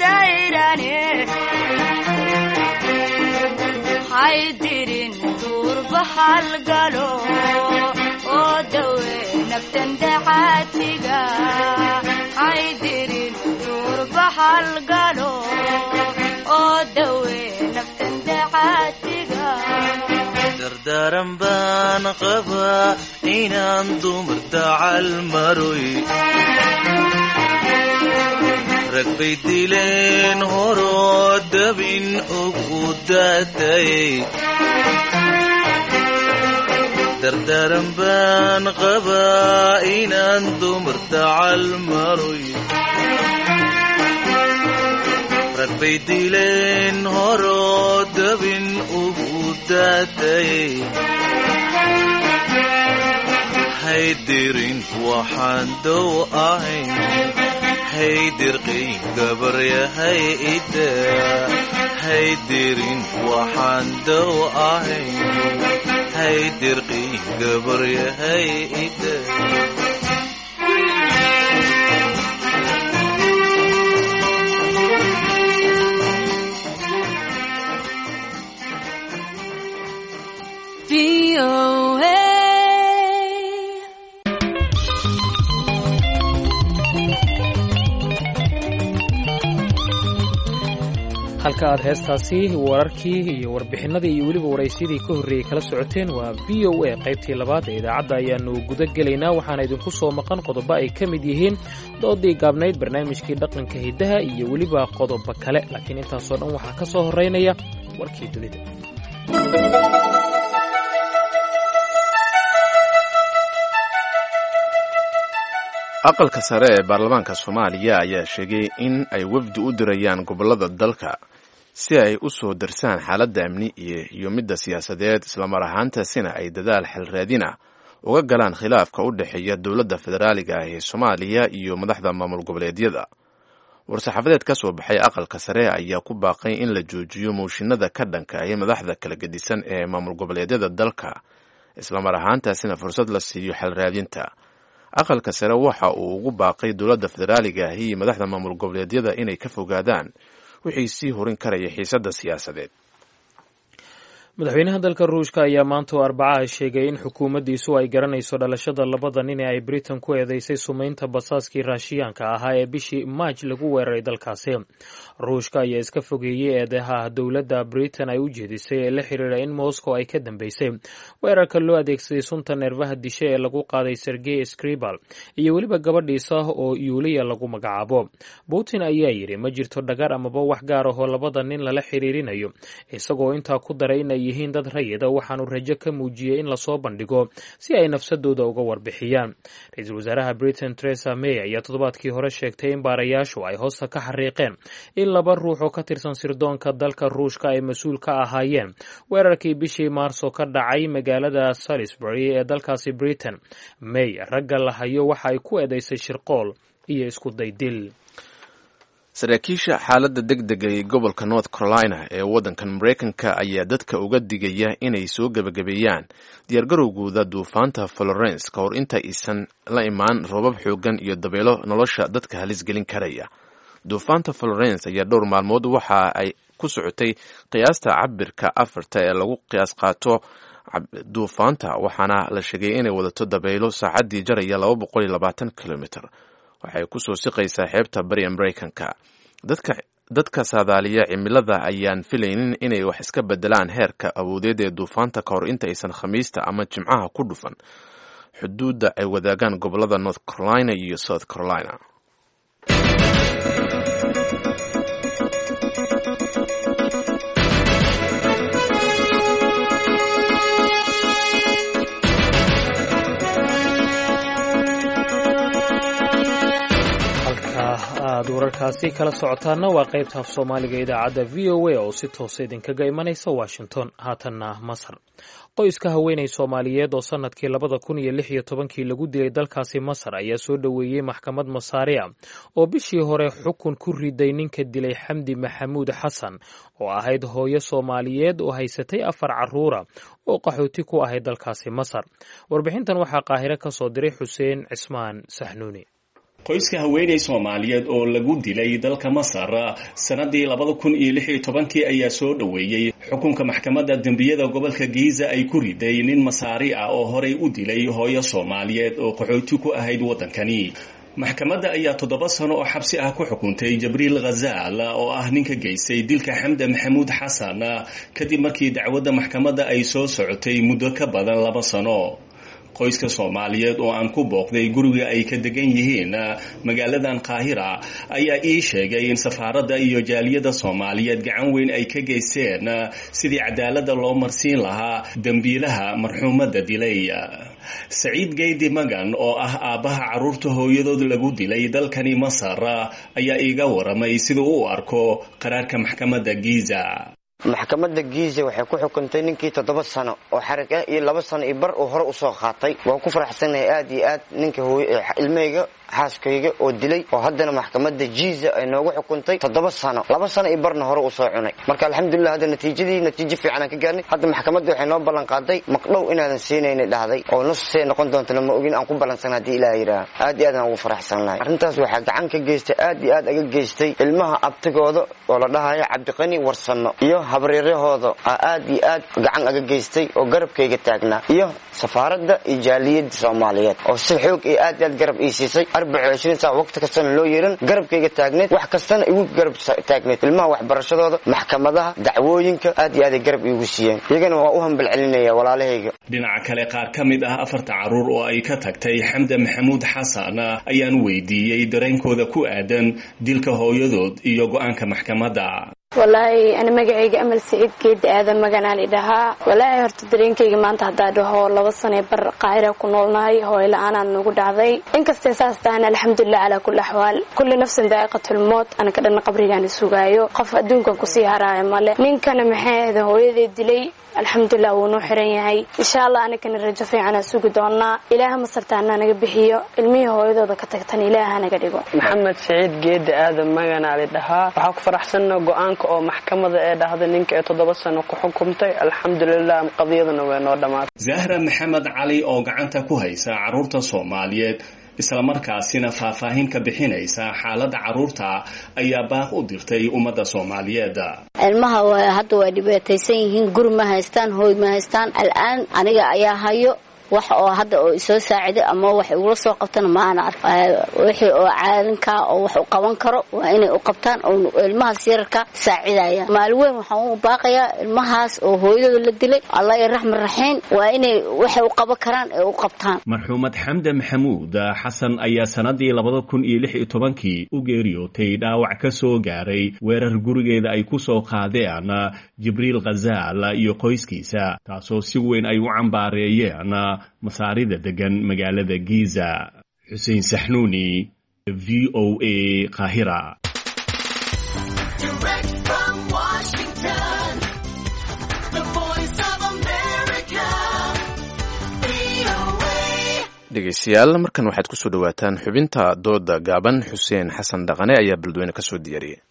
dayrane. Haydirin duurba halgalo oo dawe naftan dacaatiga. Haydirin duurba halgalo oo dawe naftan dacaatiga. Dardaaran baan qabaa inaan dumar dacal maroy, rag bay dileen horoo dabin ugu daatayay. Dardaaran baan qabaa inaan dumar dacal maroy, rag bay dileen horoo dabin ugu daatayay. Haydirin waxaan dow ahayn, haydirqii gabaryahay ida. Haydirin waxaan dow ahayn, haydirqii gabaryahay ida. Halka Halka aad heestaasi, wararkii iyo warbixinadii iyo weliba waraysyadii ka horreeyey kala socoteen waa V O A. Qaybtii labaad ee idaacadda ayaanu guda gelaynaa, waxaana idinku soo maqan qodobo ay ka mid yihiin doodii gaabnayd, barnaamijkii dhaqanka hiddaha iyo weliba qodobo kale, laakiin intaasoo dhan waxaa ka soo horraynaya warkii dunida. Aqalka sare ee baarlamaanka Soomaaliya ayaa sheegay in ay wafdi u dirayaan gobollada dalka si ay u soo darsaan xaaladda amni iyo midda siyaasadeed, islamar ahaantaasina ay dadaal xalraadin ah uga galaan khilaafka u dhexeeya dowladda federaaliga ah ee Soomaaliya iyo madaxda maamul goboleedyada. War-saxaafadeed ka soo baxay aqalka sare ayaa ku baaqay in la joojiyo mooshinada ka dhanka ah madaxda kala gedisan ee maamul goboleedyada dalka, islamar ahaantaasina fursad la siiyo xalraadinta. Aqalka sare waxa uu ugu baaqay dowladda federaaliga ahi iyo madaxda maamul goboleedyada inay ka fogaadaan wixii sii horin karaya xiisadda siyaasadeed. Madaxweynaha dalka Ruushka ayaa maanta oo Arbacaha sheegay in xukuumaddiisu ay garanayso dhalashada labada nin ee ay Britain ku eedeysay sumeynta basaaskii Raashiyaanka ahaa ee bishii Maaj lagu weeraray dalkaasi. Ruushka ayaa iska fogeeyey eedeha dowladda Britain ay u jeedisay ee la xiriira in Moscow ay ka dambeysay weerarka loo adeegsaday sunta neerfaha dishe ee lagu qaaday Sergey Skripal iyo weliba gabadhiisa oo Yuliya lagu magacaabo. Putin ayaa yidhi ma jirto dhagar amaba wax gaar ahoo labada nin lala xiriirinayo, isagoo intaa ku daray inay yihiin dad rayida, waxaanu rajo ka muujiyey in lasoo bandhigo si ay nafsadooda uga warbixiyaan. Ra-iisul wasaaraha Britain Theresa May ayaa toddobaadkii hore sheegtay in baarayaashu ay hoosta ka xariiqeen in laba ruux oo ka tirsan sirdoonka dalka Ruushka ay mas-uul ka ahaayeen weerarkii bishii Maarso ka dhacay magaalada Salisbury ee dalkaasi Britain. May ragga la hayo waxa ay ku eedeysay shirqool iyo isku daydil. Saraakiisha xaaladda degdega ee gobolka North Carolina ee waddankan Maraykanka ayaa dadka uga digaya inay soo gebagabeeyaan diyaargarowgooda duufaanta Florence ka hor inta aysan la imaan roobab xooggan iyo dabeelo nolosha dadka halis gelin karaya. Duufaanta Florence ayaa dhowr maalmood waxa ay ku socotay qiyaasta cabirka afarta ee lagu qiyaas qaato duufaanta, waxaana la sheegay inay wadato dabeelo saacaddii jaraya laba boqol iyo labaatan kilomitr. Waxay ku soo siqaysaa xeebta bariga Maraykanka. Dadka dadka saadaaliya cimilada ayaan filaynin inay wax iska bedelaan heerka awoodeed ee duufaanta ka hor inta aysan Khamiista ama Jimcaha ku dhufan xuduudda ay wadaagaan gobolada North Carolina iyo South Carolina. Aad wararkaasi kala socotaana waa qaybta af Soomaaliga idaacadda V O A oo si toosa idinkaga imanaysa Washington. Haatanna Masar. Qoyska haweeney Soomaaliyeed oo sanadkii labada kun iyo lix iyo tobankii lagu dilay dalkaasi Masar ayaa soo dhoweeyey maxkamad Masaariya oo bishii hore xukun ku riday ninka dilay Xamdi Maxamuud Xasan oo ahayd hooyo Soomaaliyeed oo haysatay afar caruura oo qaxooti ku ahayd dalkaasi Masar. Warbixintan waxaa Qaahire ka soo diray Xuseen Cismaan Saxnuuni. Qoyska haweeney Soomaaliyeed oo lagu dilay dalka Masar sanadii labada kun iyo lix iyo tobankii ayaa soo dhoweeyey xukunka maxkamadda dembiyada gobolka Giza ay ku riday nin Masaari ah oo horey u dilay hooyo Soomaaliyeed oo qaxooti ku ahayd waddankani. Maxkamadda ayaa toddoba sano oo xabsi ah ku xukuntay Jabriil Ghazaal oo ah ninka geystay dilka Xamda Maxamuud Xasan, kadib markii dacwadda maxkamadda ay soo socotay muddo ka badan laba sano. Qoyska Soomaaliyeed oo aan ku booqday guriga ay ka degan yihiin magaaladan Qaahira ayaa ii sheegay in safaaradda iyo jaaliyadda Soomaaliyeed gacan weyn ay ka geysteen sidii cadaaladda loo marsiin lahaa dembiilaha marxuumadda dilay. Saciid Geydi Magan oo ah aabbaha carruurta hooyadood lagu dilay dalkani Masar ayaa iiga waramay siduu u arko qaraarka maxkamadda Giza. Maxkamadda Giza waxay ku xukuntay ninkii toddoba sano oo xarig ah iyo laba sano iyo bar uu hore usoo qaatay. Waan ku faraxsanahay aad iyo aad ninka ilmahayga xaaskayga oo dilay oo haddana maxkamadda Giza ay noogu xukuntay toddoba sano, laba sano iyo barna hore usoo cunay. Marka alxamdulilah hadda natiijadii natiijo fiican aan ka gaarnay. Hadda maxkamadda waxay noo ballan qaaday maqdhow inaadan siinayna dhahday oo nus see noqon doontana ma ogin aan ku ballansan haddii Ilaah yidhaaha. Aad iyo aad aan ugu faraxsannahay arrintaas. Waxaa gacan ka geystay, aad iyo aad aga geystay, ilmaha abtigooda oo la dhahayo Cabdiqani Warsamo iyo Habaryarahooda aad iyo aad gacan aga geystay oo garabkayga taagnaa, iyo safaaradda iyo jaaliyadda Soomaaliyeed oo si xoog iyo aad aad garab ii siisay, arbaca iyo cishriin saac waqti kastana loo yeelan garabkayga taagneed, wax kastana igu garab taagneed, ilmaha waxbarashadooda, maxkamadaha, dacwooyinka aad iyo aaday garab iigu siiyeen. Iyagana waa u hambal celinaya walaalahayga. Dhinaca kale, qaar ka mid ah afarta carruur oo ay ka tagtay Xamda Maxamuud Xasan ayaan weydiiyey dareenkooda ku aadan dilka hooyadood iyo go-aanka maxkamadda. Walaahi ana magacayga Amal Siciid Geedi Aadan maganaan idhahaa. Walaahi horta dareenkayga maanta haddaa dhaho, laba sanee bar Qaahira ku noolnahay, hooyo la-aanaan nagu dhacday. Inkastay saas tahana, alxamdulilah calaa kulli axwaal, kulli nafsin daa'iqatulmoot. Anaka dhanna qabrigaan sugaayo, qof adduunkan kusii haraayo male. Ninkana maxay ahda hooyaday dilay, alxamdulilah wuu noo xiran yahay. Insha Allah anakana rajo fiicanaa sugi doonaa. Ilaaha masartaana naga bixiyo, ilmihii hooyadooda ka tagtan Ilaaha naga dhigo. Maxamed Siciid Geedi Aadan maganaali dhahaa. Waxaa ku faraxsanna go-aanka oo maxkamada ee dhahday ninka ee toddoba sano ku xukumtay. Alxamdulilah, qadiyaduna way noo dhammaatay. Zahra Maxamed Cali oo gacanta ku haysa carruurta Soomaaliyeed, islamarkaasina faahfaahin ka bixinaysa xaaladda carruurta, ayaa baaq u dirtay ummadda Soomaaliyeed. Ilmaha hadda waa dhibaataysan yihiin, guri ma haystaan, hooy ma haystaan. Al'aan aniga ayaa hayo, wax oo hadda oo isoo saaciday ama wax igula soo qabtana ma aan ark. Wixii oo caalinkaa oo wax u qaban karo waa inay u qabtaan oo ilmahaas yararka saacidaya. Maalin weyn waxaan u baaqayaa ilmahaas oo hooyadooda la dilay, Allah ya raxman raxiim, waa inay waxay u qaban karaan ee u qabtaan. Marxuumad Xamde Maxamuud Xasan ayaa sanadii labada kun iyo lix iyo tobankii u geeriyootay dhaawac ka soo gaaray weerar gurigeeda ay ku soo qaadeen Jibriil Khazaal iyo qoyskiisa, taasoo si weyn ay u cambaareeyeen Masaarida degan magaalada Giza. Xuseen Saxnuuni, V O A, Qaahira. Direct from Washington, the Voice of America, V O A. Dhegeystayaal, markan waxaad kusoo dhawaataan xubinta dooda gaaban. Xuseen Xasan Dhaqane ayaa Beledweyne ka soo diyaariyey.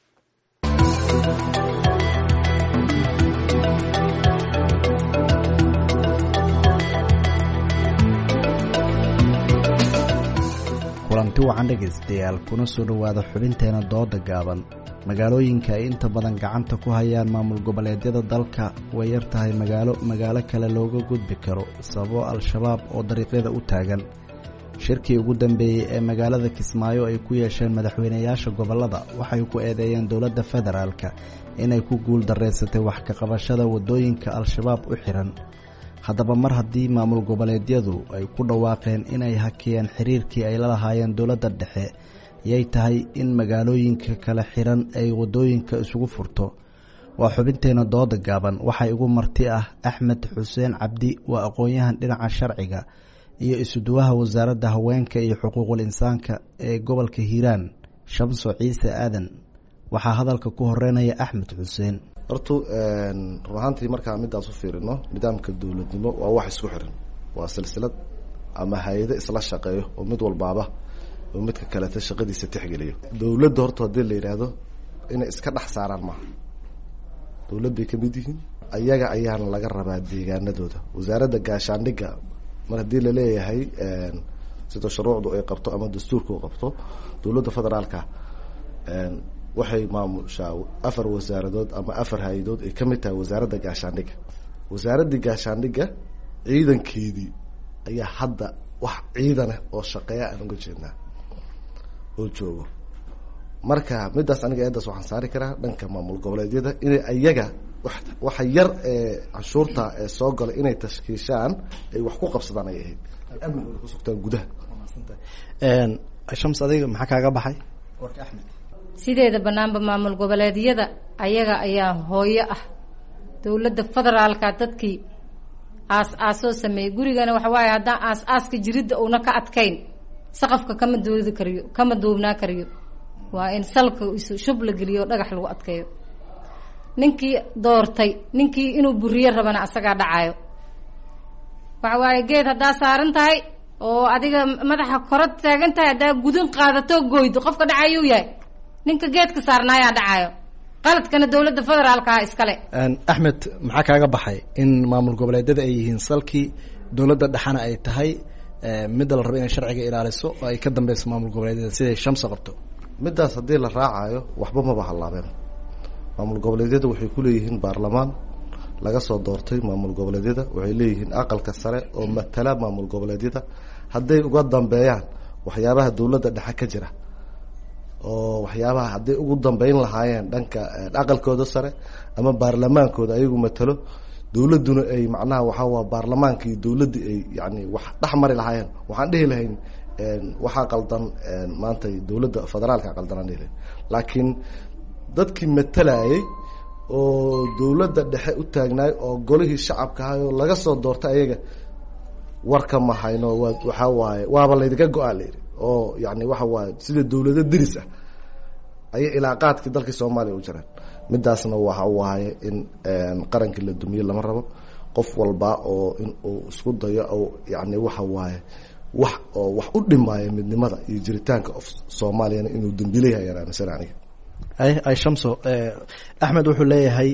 Kulanti wacan dhegaystayaal, kuna soo dhowaada xubinteena dooda gaaban. Magaalooyinka ay inta badan gacanta ku hayaan maamul goboleedyada dalka way yar tahay magaalo magaalo kale looga gudbi karo, sababo Al-Shabaab oo dariiqyada u taagan. Shirkii ugu dambeeyey ee magaalada Kismaayo ay ku yeesheen madaxweynayaasha gobollada waxay ku eedeeyeen dowladda federaalka inay ku guul dareysatay wax ka qabashada waddooyinka Al-Shabaab u xiran. Haddaba mar haddii maamul goboleedyadu ay ku dhawaaqeen inay hakiyeen xiriirkii ay la lahaayeen dowladda dhexe, yay tahay in magaalooyinka kala xiran ay waddooyinka isugu furto? Waa xubinteena dooda gaaban. Waxaa igu marti ah Axmed Xuseen Cabdi, waa aqoon-yahan dhinaca sharciga iyo isuduwaha wasaaradda haweenka iyo xuquuqul insaanka ee gobolka Hiiraan, Shamso Ciise Aadan. Waxaa hadalka ku horeynaya Axmed Xuseen. Horta run ahaantii markaan midaas u fiirino, nidaamka dowladnimo waa wax isku xiran, waa silsilad ama hay-ado isla shaqeeyo oo mid walbaaba oo midka kaleta shaqadiisa tixgeliyo. Dowladda horta haddii la yidhaahdo inay iska dhex saaraan maaha, dowladday kamid yihiin, ayaga ayaana laga rabaa deegaanadooda. Wasaaradda gaashaandhigga mar haddii laleeyahay sida shuruucdu ay qabto ama dastuurka u qabto, dowladda federaalka waxay maamushaa afar wasaaradood ama afar hay-adood ay kamid tahay wasaaradda gaashaandhigga. Wasaaraddii gaashaandhigga ciidankeedii ayaa hadda wax ciidanah oo shaqeeya aan uga jeednaa oo joogo. Marka midaas aniga eedaas waxaan saari karaa dhanka maamul goboleedyada inay ayaga waxa yar ee canshuurta ee soo gala inay tashkiishaan ay wax ku qabsadaan ay ahayd, ay amnigooda ku sugtaan gudaha. Shams, adiga maxaa kaaga baxay warka Axmed? Sideeda banaanba maamul goboleedyada ayaga ayaa hooyo ah dowladda federaalka. Dadkii aas aasoo sameeyey gurigana waxa waaye, haddaan aas aaska jiridda uuna ka adkayn, saqafka kama doodi kariyo, kama duubnaa kariyo. Waa in salka isu shub la geliyo o dhagax lagu adkeeyo. Ninkii doortay ninkii inuu buriyo rabana asagaa dhacayo. Waxa waaye, geed haddaa saaran tahay oo adiga madaxa kora taagan tahay, haddaa gudin qaadato goydo, qofka dhacayuu yahay ninka geedka saarnaayaa dhacayo. Qaladkana dowladda federaalka ah iskale. Axmed, maxaa kaaga baxay in maamul goboleedyada ay yihiin salkii dowladda dhexana ay tahay midda la rabo inay sharciga ilaaliso oo ay ka dambeyso maamul goboleedyada siday Shamsa qabto? Midaas haddii la raacayo waxba maba hallaabeen. Maamul goboleedyada waxay ku leeyihiin baarlamaan laga soo doortay maamul goboleedyada, waxay leeyihiin aqalka sare oo matala maamul goboleedyada. Hadday uga dambeeyaan waxyaabaha dowladda dhexe ka jira oo waxyaabaha hadday ugu dambeyn lahaayeen dhanka aqalkooda sare ama baarlamaankooda ayagu matalo, dowladduna ay macnaha waxaa waa baarlamaanka iyo dowladda ay yani wax dhex mari lahaayeen, waxaan dhihi lahayn waxaa qaldan maanta dowladda federaalka qaldan aan dhihi lahayn. Laakiin dadkii matalayay oo dowladda dhexe u taagnaay oo golihii shacabka ahay oo laga soo doortay ayaga warka ma hayno. Waa waxaa waaye waaba laydinka go-aa la yidhi oo yani waxa waaye sida dowlado deris ah ayay ilaaqaadkii dalkii Soomaaliya u jiraan. Midaasna waxa waaye in qarankii la dumiye lama rabo. Qof walba oo in uu isku dayo oo yani waxa waaye wax oo wax u dhimaayo midnimada iyo jiritaanka of Soomaaliyana inuu dambiile yahay ayaan aaminsan aniga. Ay ay Shamso, Axmed wuxuu leeyahay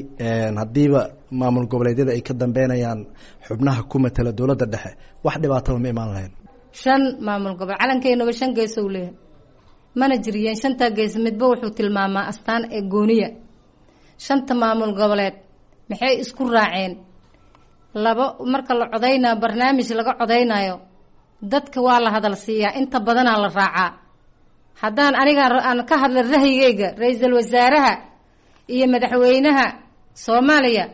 haddiiba maamul goboleedyada ay ka dambeynayaan xubnaha ku matala dowladda dhexe wax dhibaataba ma imaan lahayn. Shan maamul gobol calankeenaba shan gees uu leeyahay, mana jiriyeen shantaa gees midba wuxuu tilmaamaa astaan ee gooniya. Shanta maamul goboleed maxay isku raaceen? Labo marka la codaynayo barnaamij laga codaynayo dadka waa la hadal siiyaa, inta badanaa la raacaa. Haddaan aniga aan ka hadla rahyigayga, ra-iisul wasaaraha iyo madaxweynaha Soomaaliya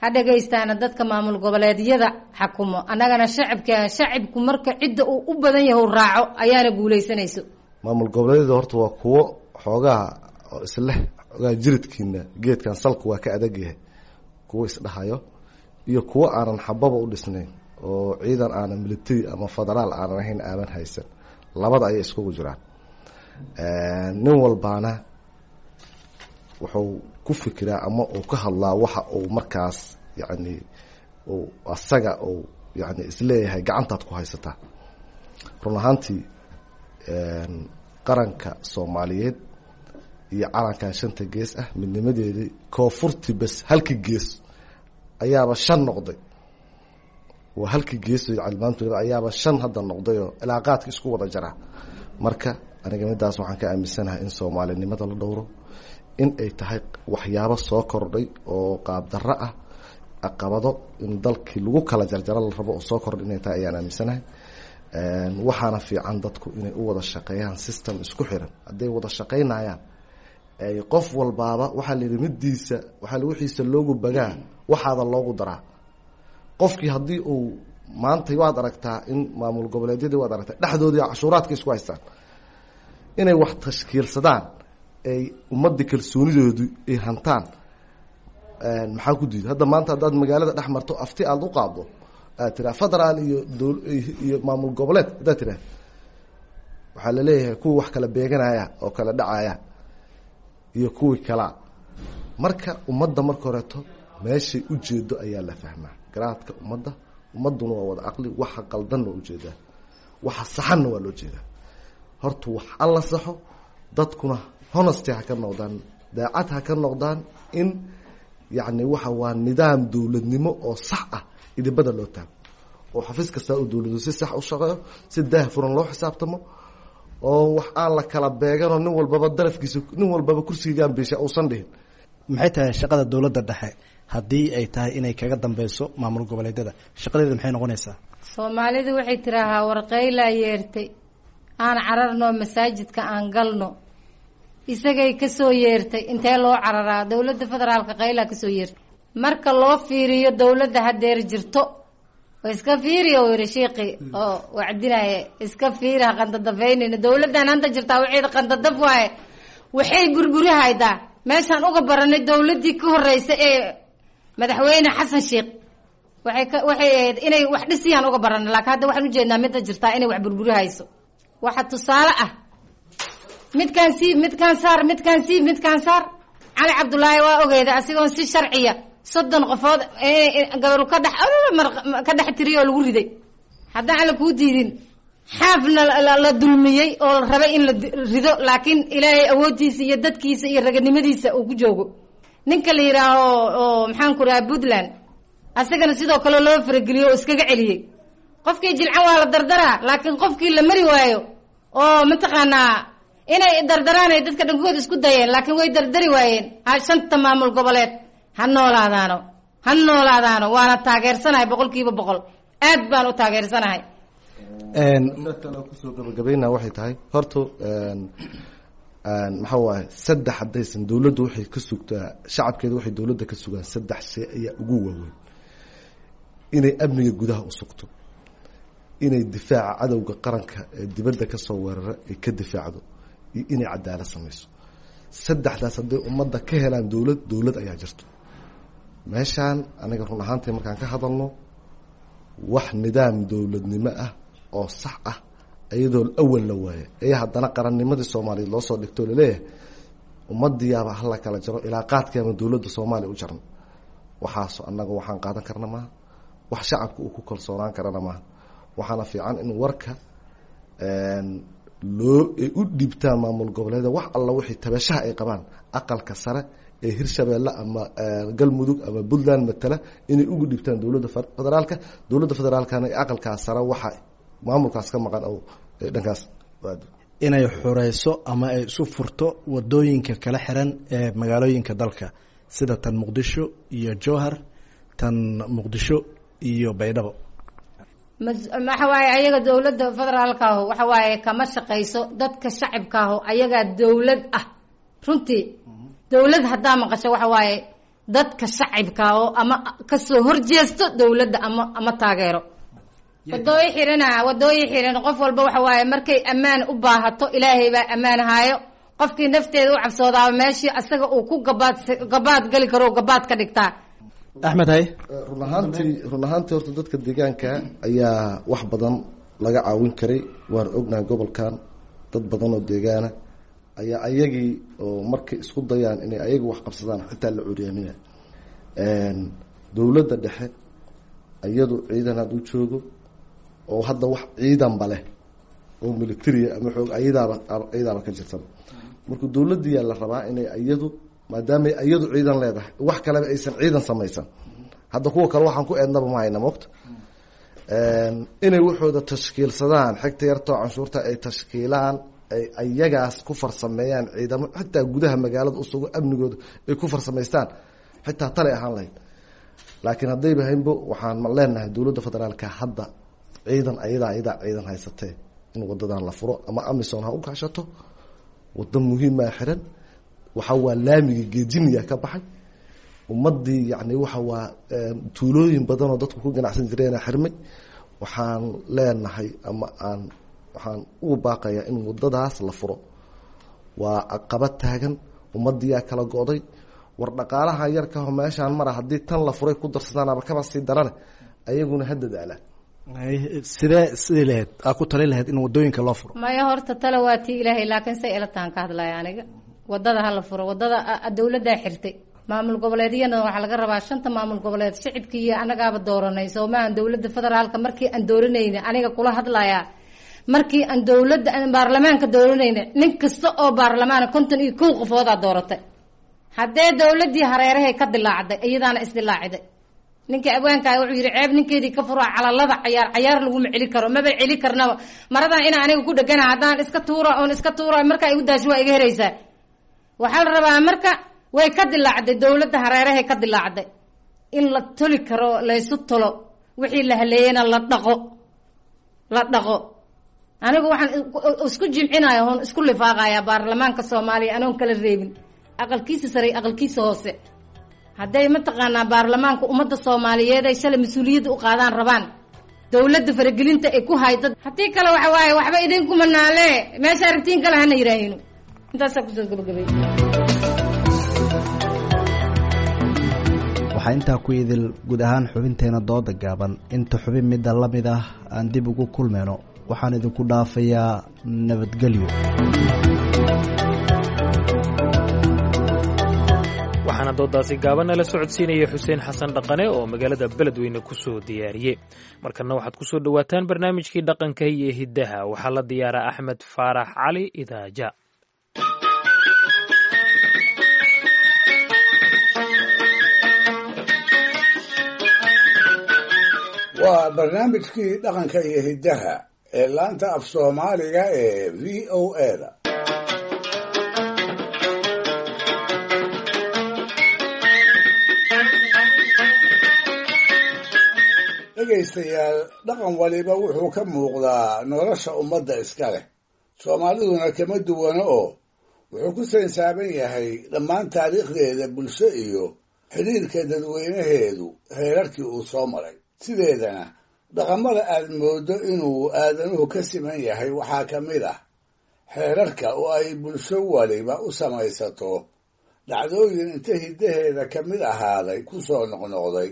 ha dhagaystaana dadka maamul goboleedyada xakumo, annagana shacabka shacibku marka cidda uu u badan yahay uu raaco ayaana guulaysanayso. Maamul goboleedyada horta waa kuwo xoogaha oo isleh xoogaha jiridkiina geedkan salku waa ka adag yahay, kuwo isdhahayo iyo kuwo aanan xababa u dhisnayn oo ciidan aanan military ama federaal aanan ahayn aadan haysan, labada ayay iskugu jiraan. Nin walbaana wuxuu ku fikiraa ama uu ka hadlaa waxa uu markaas yacni uu asaga uu yani isleeyahay gacantaad ku haysataa. Run ahaantii qaranka Soomaaliyeed iyo calankan shanta gees ah midnimadeedii koonfurtii bes halkii gees ayaaba shan noqday, waa halkii gees maanta ayaaba shan hadda noqdayoo ilaaqaadka isku wada jaraa. Marka aniga midaas waxaan ka aaminsanahay in soomaalinimada la dhowro, in ay tahay waxyaabo soo kordhay oo qaabdarro ah, caqabado in dalkii lagu kala jarjaro la rabo oo soo kordhay inay tahay ayaan aaminsanahay. Waxaana fiican dadku inay u wada shaqeeyaan system isku xiran. Hadday wada shaqeynayaan ay qof walbaaba waxaa la yidhi midiisa waxaa wixiisa loogu bagaa waxaada loogu daraa. Qofkii haddii uu maanta waad aragtaa in maamul goboleedyadii waad aragtaa dhexdoodii cashuuraadka isku haystaan, inay wax tashkiilsadaan ay ummadda kalsoonidoodu ay hantaan, maxaa ku diiday? Hadda maanta haddaad magaalada dhex marto afti aada u qaaddo aad tiraa federaal iyo dowl iyo maamul goboleed haddaad tiraa, waxaa laleeyahay kuwii wax kala beeganaya oo kala dhacaya iyo kuwii kalaa. Marka ummadda marka horeeto meeshay ujeedo ayaa la fahmaa garaadka ummadda. Ummadduna waa wada caqli, waxa qaldanna waa ujeedaa, waxa saxanna waa loo jeedaa. Horta wax alla saxo, dadkuna honesty ha ka noqdaan, daacad ha ka noqdaan in yacni waxa waa nidaam dowladnimo oo sax ah idibada loo taago oo xafiis kastaa uu dowladu si sax u shaqeeyo, si daah furan loo xisaabtamo oo wax aan la kala beeganoo nin walbaba darafkiisa nin walbaba kursigiigaan biisha uusan dhihin. Maxay tahay shaqada dowladda dhexe haddii ay tahay inay kaga dambeyso maamul goboleedyada? Shaqadeeda maxay noqonaysaa? Soomaalidu waxay tiraahaa warqaylaa yeertay aan cararno masaajidka aan galno, isagay kasoo yeertay. Intee loo cararaa? Dowladda federaalka qaylaa kasoo yeertay. Marka loo fiiriyo dowladda hadeer jirto iska fiiriyo uu yidhi shiiqi oo wacdinaya, iska fiiri ha qandadafaynayna dowladdan hanta jirtaa waxeeda qandadaf waaye, waxay burburihaydaa. Meeshaan uga baranay dowladdii ka horeysa ee madaxweyne Xasan Sheekh waxay ka waxay ahayd inay wax dhisiyaan uga baranay, laakiin hadda waxaan ujeednaa midda jirtaa inay wax burburihayso. Waxa tusaale ah midkaan siib, midkaan saar, midkaan siib, midkaan saar. Cali Cabdullaahi waa ogeeda asigoon si sharciya soddon qofood gabaru ka dhex ka dhex tiriyo oo lagu riday. Haddaan alla kuu diidin xaafna la dulmiyey oo la rabay in la rido, laakiin ilaahay awooddiisa iyo dadkiisa iyo raganimadiisa uu ku joogo. Ninka la yidhaaho oo maxaan ku rahaa Puntland, asagana sidoo kale loo farageliyo oo iskaga celiyey. Qofkii jilcan waa la dardaraa, laakiin qofkii la mari waayo oo mataqaanaa Inay dardaraan ay dadka dhankood isku dayeen, laakiin way dardari waayeen. Ha shanta maamul goboleed ha noolaadaano, ha noolaadaano, waana taageersanahay boqolkiiba boqol, aad baan u taageersanahay. Kusoo gabagabayna waxay tahay horta maxaa waaye, saddex haddaysan dowladdu waxay ka sugtaa shacabkeeda, waxay dowladda ka sugaan saddex shay ayaa ugu waaweyn: inay amniga gudaha u sugto, inay difaaca cadowga qaranka ee dibadda ka soo weerara ay ka difaacdo, iyo inay cadaalad samayso. Saddexdaas hadday ummadda ka helaan dowlad, dowlad ayaa jirto. Meeshaan aniga run ahaantii markaan ka hadalno, wax nidaam dowladnimo ah oo sax ah iyadoo awal la waaya ayaa haddana qarannimadii soomaaliyeed loo soo dhigto, laleeyahay ummadiyaaba hala kala jaro ilaa qaadkeema dowladda soomaaliya u jaran. Waxaas annaga waxaan qaadan karna maaha, wax shacabka uu ku kalsoonaan karana maaha. Waxaana fiican in warka loo ay u dhiibtaan maamul goboleeda wax alla wixii tabashaha ay qabaan aqalka sare ee Hirshabeelle ama Galmudug ama Puntland matala inay ugu dhiibtaan dowladda federaalka, dowladda federaalkana ee aqalkaas sare waxa maamulkaas ka maqan oo dhankaas inay xureyso ama ay isu furto wadooyinka kala xiran ee magaalooyinka dalka, sida tan Muqdisho iyo Jowhar, tan Muqdisho iyo Baydhabo. Waxa waaye ayaga dowladda federaalkaahu waxa waaye kama shaqayso dadka shacibkaahu, ayagaa dowlad ah runtii. Dowlad haddaa maqasho waxa waaye dadka shacibka oo ama kasoo horjeesto dowladda ama ama taageero. Wadooyi xirana, wadooyi xiran, qof walba waxa waaye markay ammaan u baahato ilaahay baa ammaan haayo. Qofkii nafteeda u cabsoodaaba meeshii asaga uu ku gabaad gabaad gali karo gabaad ka dhigtaa. Axmed hay. Run ahaantii, run ahaantii horta dadka deegaanka ayaa wax badan laga caawin karay. Waan ognahay gobolkan dad badan oo deegaana ayaa ayagii oo markay isku dayaan inay ayaga wax qabsadaan xitaa la curyaaminaya. Dowladda dhexe iyadu ciidan had u joogo oo hadda wax ciidanba leh oo militaria ama xoog ayadaaba ayadaaba ka jirtaba. Marka dowladdiyaa la rabaa inay iyadu, maadaamay iyadu ciidan leedahay, wax kaleba aysan ciidan samaysan. Hadda kuwa kale waxaan ku eednaba ma hayna moogta inay waxooda tashkiilsadaan, xigta yartoo canshuurta ay tashkiilaan, ay ayagaas ku farsameeyaan ciidamo xitaa gudaha magaalada usugo amnigooda ay ku farsamaystaan, xitaa talay ahaan lahayd. Laakiin haddayba haynbo, waxaan leenahay dowladda federaalka hadda ciidan ayadaa ayadaa ciidan haysatee in wadadan la furo ama Amison ha u kaashato. Wado muhiimaa xiran, waxa waa laamiga geejiniya ka baxay ummadii, yani waxa waa tuulooyin badanoo dadku ku ganacsan jireena xirmay. Waxaan leenahay ama aan waxaan ugu baaqayaa in wadadaas la furo. Waa caqabad taagan, ummadiyaa kala go'day. War dhaqaalaha yarkaho meeshaan mara haddii tan la furay ku darsadaan aba kaba sii darane, ayaguna ha dadaalaan. Sidee sidii lahayd aa ku talin lahayd in wadooyinka loo furo? Maya, horta tale waa tii ilaahay, laakiin say ila tahan ka hadlaya aniga. Wadada hala furo, wadada dowladdaa xirtay. Maamul goboleedyana waxaa laga rabaa shanta maamul goboleed shicibkii iyo anagaaba dooranay soomahan dowladda federaalka markii aan dooranayna, aniga kula hadlayaa, markii aan dowladda aan baarlamaanka dooranayna, nin kasta oo baarlamaana konton iyo kow qofoodaa dooratay. Haddee dowladdii hareerahay ka dilaacday, iyadaana isdilaaciday. Ninka abwaankaa wuxuu yihi ceeb ninkeedii ka fura calalada cayaar cayaar laguma celi karo, maba celi karnaba. Maradan inaa aniga ku dhegana haddaan iska tuura oon iska tuura markaa igu daasho waa iga heraysaa. Waxaa la rabaa marka way ka dilaacday dowladda, hareerahay ka dilaacday, in la toli karo, laysu tolo, wixii la haleeyena la dhaqo, la dhaqo. Anigu waxaan isku jimcinaya oon isku lifaaqaya baarlamaanka Soomaaliya anoon kala reebin aqalkiisa sare aqalkiisa hoose. Hadday mataqaanaa baarlamaanka ummadda soomaaliyeed ay shalay mas-uuliyadda u qaadaan rabaan dowladda faragelinta ay ku hayda, haddii kale waxa waaye waxba idinkuma naale, meesha aragtiin kale hana yidhaahino. Intaasaa kusoo gabagabay. Waxaa intaa ku idil guud ahaan xubinteena dooda gaaban. Inta xubin midda la mid ah aan dib ugu kulmayno, waxaan idinku dhaafayaa nabadgelyo. Waxaana doodaasi gaabanna la socodsiinaya Xuseen Xasan Dhaqane oo magaalada Beledweyne ku soo diyaariyey. Markanna waxaad ku soo dhowaataan barnaamijkii dhaqanka iyo hiddaha. Waxaa la diyaaraa Axmed Faarax Cali Idaaja. Waa barnaamijkii dhaqanka iyo hiddaha ee laanta af Soomaaliga ee V O A da. Dhegaystayaal, dhaqan waliba wuxuu ka muuqdaa nolosha ummadda iska leh. Soomaaliduna kama duwano oo wuxuu ku saysaaban yahay dhammaan taariikhdeeda bulsho iyo xidhiirka dadweynaheedu heerarkii uu soo maray. Sideedana dhaqamada aad mooddo inuu aadanuhu ka siman yahay waxaa ka mid ah xeerarka oo ay bulsho waliba u samaysato dhacdooyin inta hiddaheeda ka mid ahaaday ku soo noqnoqday,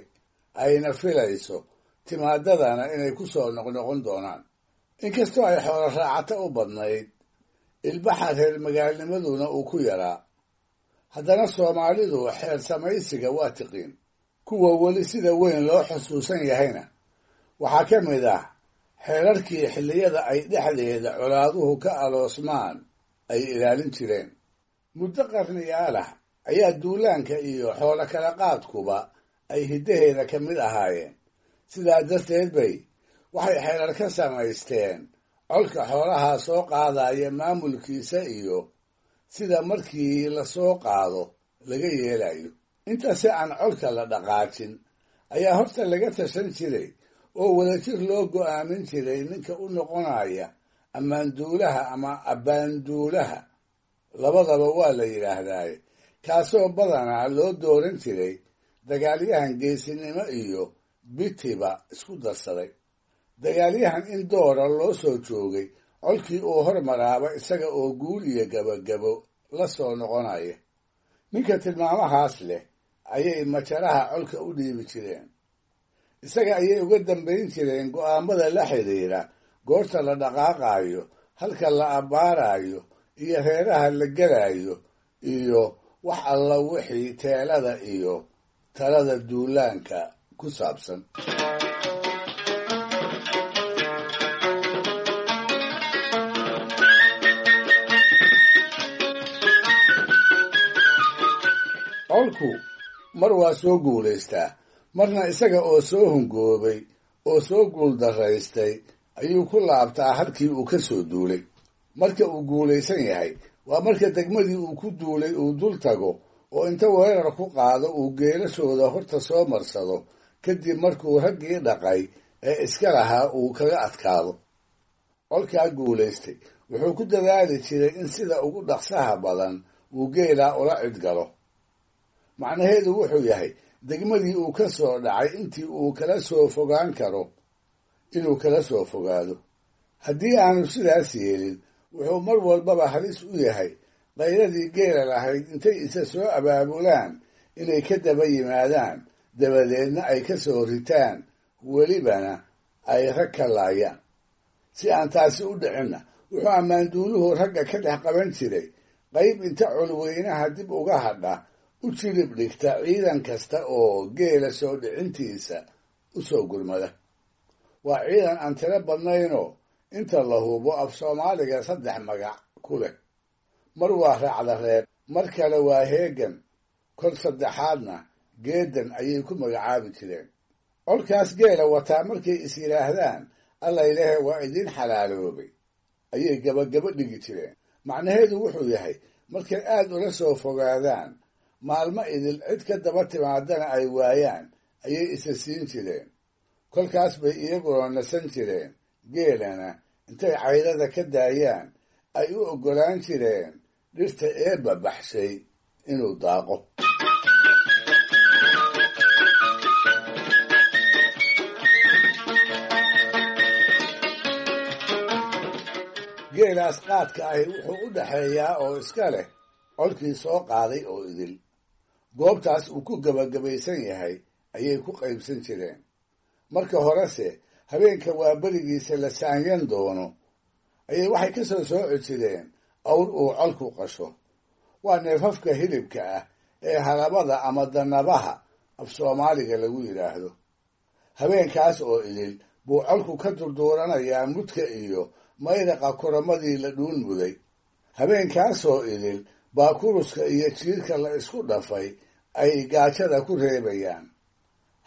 ayna filayso timaadadana inay ku soo noqnoqon doonaan. Inkastoo ay xoolo raacata u badnayd, ilbaxa reer magaalnimaduna uu ku yaraa, haddana Soomaalidu xeer samaysiga waa tiqiin. Kuwa weli sida weyn loo xusuusan yahayna waxaa ka mid ah xeerarkii xilliyada ay dhexdeeda colaaduhu ka aloosmaan ay ilaalin jireen. Muddo qarniyaal ah ayaa duulaanka iyo xoolo kala qaadkuba ay hiddaheeda ka mid ahaayeen. Sidaa darteed bay waxay xeerar ka samaysteen colka xoolaha soo qaadaya maamulkiisa iyo sida markii la soo qaado laga yeelayo. Inta si aan colka la dhaqaajin ayaa horta laga tashan jiray oo wadajir loo go'aamin jiray ninka u noqonaya ammaanduulaha ama abbaanduulaha, labadaba waa la yidhaahdaaye, kaasoo badanaa loo dooran jiray dagaalyahan geesinimo iyo bitiba isku darsaday. Dagaalyahan in doora loo soo joogay colkii uu hormaraaba isaga oo guul iyo gabagabo la soo noqonaya. Ninka tilmaamahaas leh ayay majaraha colka u dhiibi jireen. Isaga ayay uga dambayn jireen go'aamada la xidhiidha goorta la dhaqaaqaayo, halka la abbaarayo, iyo reeraha la gelayo, iyo wax alla wixii teelada iyo talada duulaanka ku saabsan. Colku mar waa soo guulaystaa, marna isaga oo soo hungoobay oo soo guuldaraystay ayuu ku laabtaa halkii uu ka soo duulay. Marka uu guulaysan yahay waa marka degmadii uu ku duulay uu dul tago oo inta weerar ku qaado uu geelashooda horta soo marsado, kadib markuu raggii dhaqay ee iska lahaa uu kaga adkaado. Colkaa guulaystay wuxuu ku dadaali jiray in sida ugu dhaqsaha badan uu geelaa ula cidgalo. Macnaheedu wuxuu yahay degmadii uu ka soo dhacay intii uu kala soo fogaan karo inuu kala soo fogaado. Haddii aanu sidaas yeelin, wuxuu mar walbaba halis u yahay qayradii geela lahayd intay isa soo abaabulaan inay ka daba yimaadaan, dabadeedna ay ka soo ritaan, welibana ay rag ka laayaan. Si aan taasi u dhicinna, wuxuu ammaanduuluhu ragga ka dhex qaban jiray qayb inta colweynaha dib uga hadha u jilib dhigta ciidan kasta oo geela soo dhicintiisa u soo gurmada. Waa ciidan aan tiro badnaynoo inta la hubo af Soomaaliga saddex magac ku leh. Mar waa raacda reeb, mar kale waa heegan, kol saddexaadna geedan ayay ku magacaabi jireen. Colkaas geela wataa markay is yidhaahdaan Allaylehe waa idiin xalaaloobay ayay gabagabo dhigi jireen. Macnaheedu wuxuu yahay markay aad ula soo fogaadaan, maalmo idil cid ka daba timaadana ay waayaan ayay isa siin jireen. Kolkaas bay iyaguna nasan jireen, geelana intay caydada ka daayaan ay u oggolaan jireen dhirta eebba baxshay inuu daaqo. Geelaas qaadka ahi wuxuu u dhaxeeyaa oo iska leh colkii soo qaaday oo idil. Goobtaas uu ku gabagabaysan yahay ayay ku qaybsan jireen. Marka horese habeenka waa berigiisa la saanyan doono ayay waxay ka soo sooci jireen awr uu colku qasho. Waa neefafka hilibka ah ee halabada ama danabaha af Soomaaliga lagu yidhaahdo. Habeenkaas oo idil buu colku ka durduuranayaa mudka iyo mayraqa kuramadii la dhuun muday. Habeenkaasoo idil baa kuruska iyo jiirka la isku dhafay ay gaajada ku reebayaan.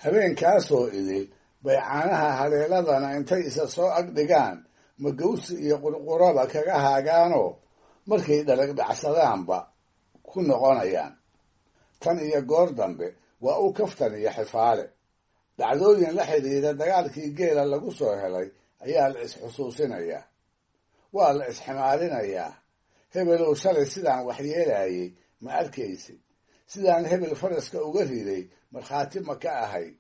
Habeenkaasoo idil bay caanaha haleeladana intay isa soo ag dhigaan magawsi iyo qurquraba kaga haagaanoo markay dhalag dhacsadaanba ku noqonayaan. Tan iyo goor dambe waa u kaftan iyo xifaale. Dhacdooyin la xidhiidha dagaalkii geela lagu soo helay ayaa la isxusuusinayaa, waa la isximaalinayaa. Hebelow shalay sidaan waxyeelayay ma arkaysid, sidaan hebel faraska uga riday markhaati ma ka ahayd,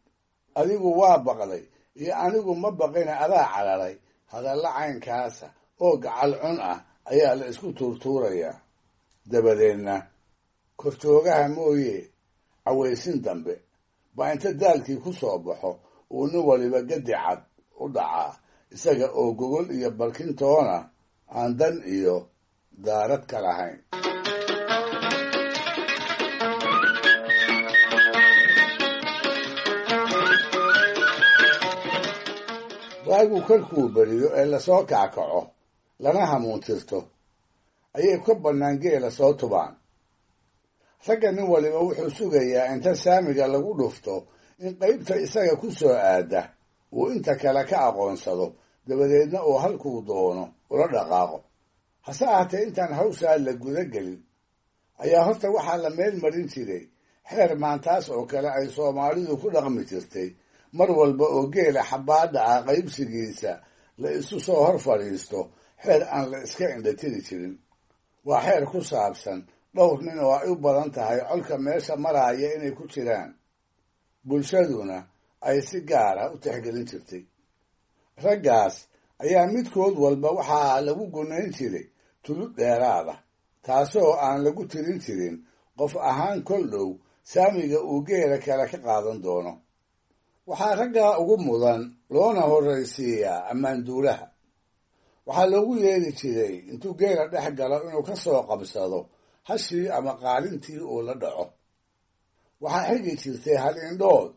adigu waa baqday iyo anigu ma baqina adaa cararay. Hadalla caynkaasa oo gacal cun ah ayaa la isku tuurtuurayaa. Dabadeedna korjoogaha mooye cawaysin dambe baa inta daalkii ku soo baxo uu nin waliba gadi cad u dhacaa, isaga oo gogol iyo barkintoona aan dan iyo daarad ka lahayn. Waagu kolkuu beriyo ee lasoo kackaco lana hamuuntirto ayay ka bannaan geela soo tubaan. Ragga nin waliba wuxuu sugayaa inta saamiga lagu dhufto in qaybta isaga ku soo aada uu inta kale ka aqoonsado, dabadeedna uu halkuu doono ula dhaqaaqo. Hase ahaatee intaan hawshaa la guda gelin ayaa horta waxaa la meel marin jiray xeer maantaas oo kale ay Soomaalidu ku dhaqmi jirtay. Mar walba oo geela xabaadha ah qaybsigiisa la isu soo hor fadhiisto, xeer aan la iska indhatiri jirin. Waa xeer ku saabsan dhowr nin oo ay u badan tahay colka meesha maraaya inay ku jiraan, bulshaduna ay si gaara u tixgelin jirtay. Raggaas ayaa midkood walba waxaa lagu gunayn jiray tulud dheeraada, taasoo aan lagu tirin jirin qof ahaan kol dhow saamiga uu geela kale ka qaadan doono. Waxaa raggaa ugu mudan loona horraysiiyaa ammaanduulaha. Waxaa loogu yeeri jiray intuu geela dhex galo inuu ka soo qabsado hashii ama qaalintii uu la dhaco. Waxaa xigi jirtay hal indhood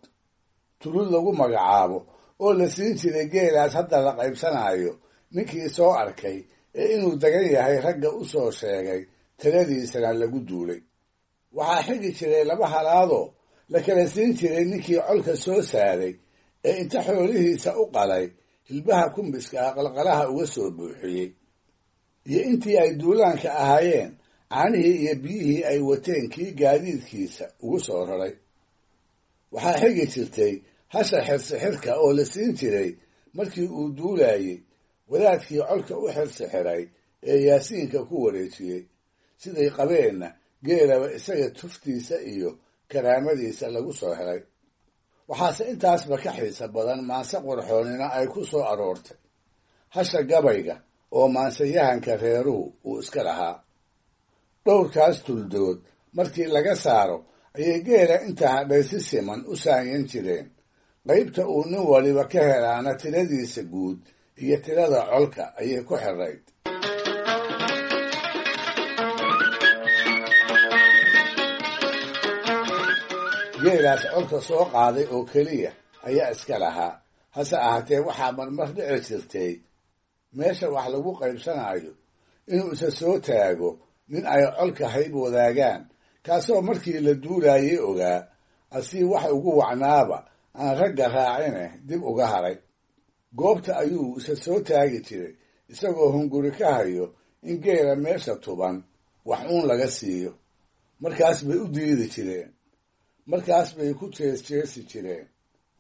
tulud lagu magacaabo oo la siin jiray geelaas hadda la qaybsanayo ninkii soo arkay ee inuu degan yahay ragga u soo sheegay, taladiisana lagu duulay. Waxaa xigi jiray laba halaadoo la kala siin jiray ninkii colka soo saaray ee inta xoolihiisa u qalay hilbaha kumbiska ah qalqalaha uga soo buuxiyey, iyo intii ay duulaanka ahaayeen caanihii iyo biyihii ay wateen kii gaadiidkiisa ugu soo raray. Waxaa xigi jirtay hasha xirsixirka oo la siin jiray markii uu duulayey wadaadkii colka u xirsixiray ee yaasiinka ku wareejiyey, siday qabeenna geelaba isaga tuftiisa iyo karaamadiisa lagu soo helay. Waxaase intaasba ka xiisa badan maanse qurxoonina ay ku soo aroortay hasha gabayga oo maanseyahanka reeruhu uu iska lahaa. Dhowrkaas tuldood markii laga saaro ayay geela inta hadhay si siman u saanyan jireen. Qaybta uu nin waliba ka helaana tiradiisa guud iyo tirada colka ayay ku xirayd. Geelaas colka soo qaaday oo keliya ayaa iska lahaa. Hase ahaatee waxaa marmar dhici jirtay meesha wax lagu qaybsanayo inuu isa soo taago nin ay colka hayb wadaagaan, kaasoo markii la duulayay ogaa asii wax ugu wacnaaba aan ragga raacine dib uga haray. Goobta ayuu isa soo taagi jiray isagoo hunguri ka hayo in geela meesha tuban wax uun laga siiyo. Markaas bay u diidi jireen, markaas bay ku jeesjeesi jireen,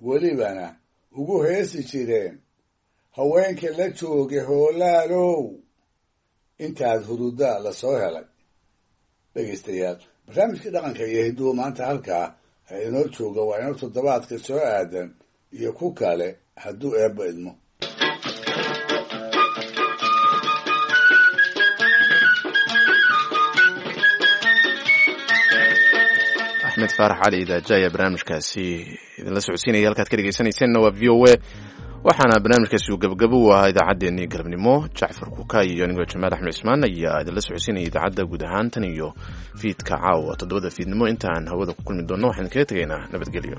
welibana ugu heesi jireen haweenka la jooga hoolaalow intaad hurudaa la soo helay. Dhegaystayaal, barnaamijkii dhaqanka iyo hidduhu maanta halkaa ha inoo jooga. Waa inoo toddobaadka soo aadan iyo ku kale hadduu eebba idmo. Axmed Faarax Cali Idaaja ayaa barnaamijkaasi idinla socodsiinaya. Halkaad ka dhegeysanayseena waa V O A, waxaana barnaamijkaasi uu gabagabo u ahaa idaacaddeenii galabnimo. Jacfar Kuka iyo anigoo Jamaal Axmed Cismaan ayaa idinla socodsiinaya idaacadda guud ahaan tan iyo fiidka caawa toddobada fiidnimo. Intaan hawada ku kulmi doonno waxaan kaga tegaynaa nabadgelyo.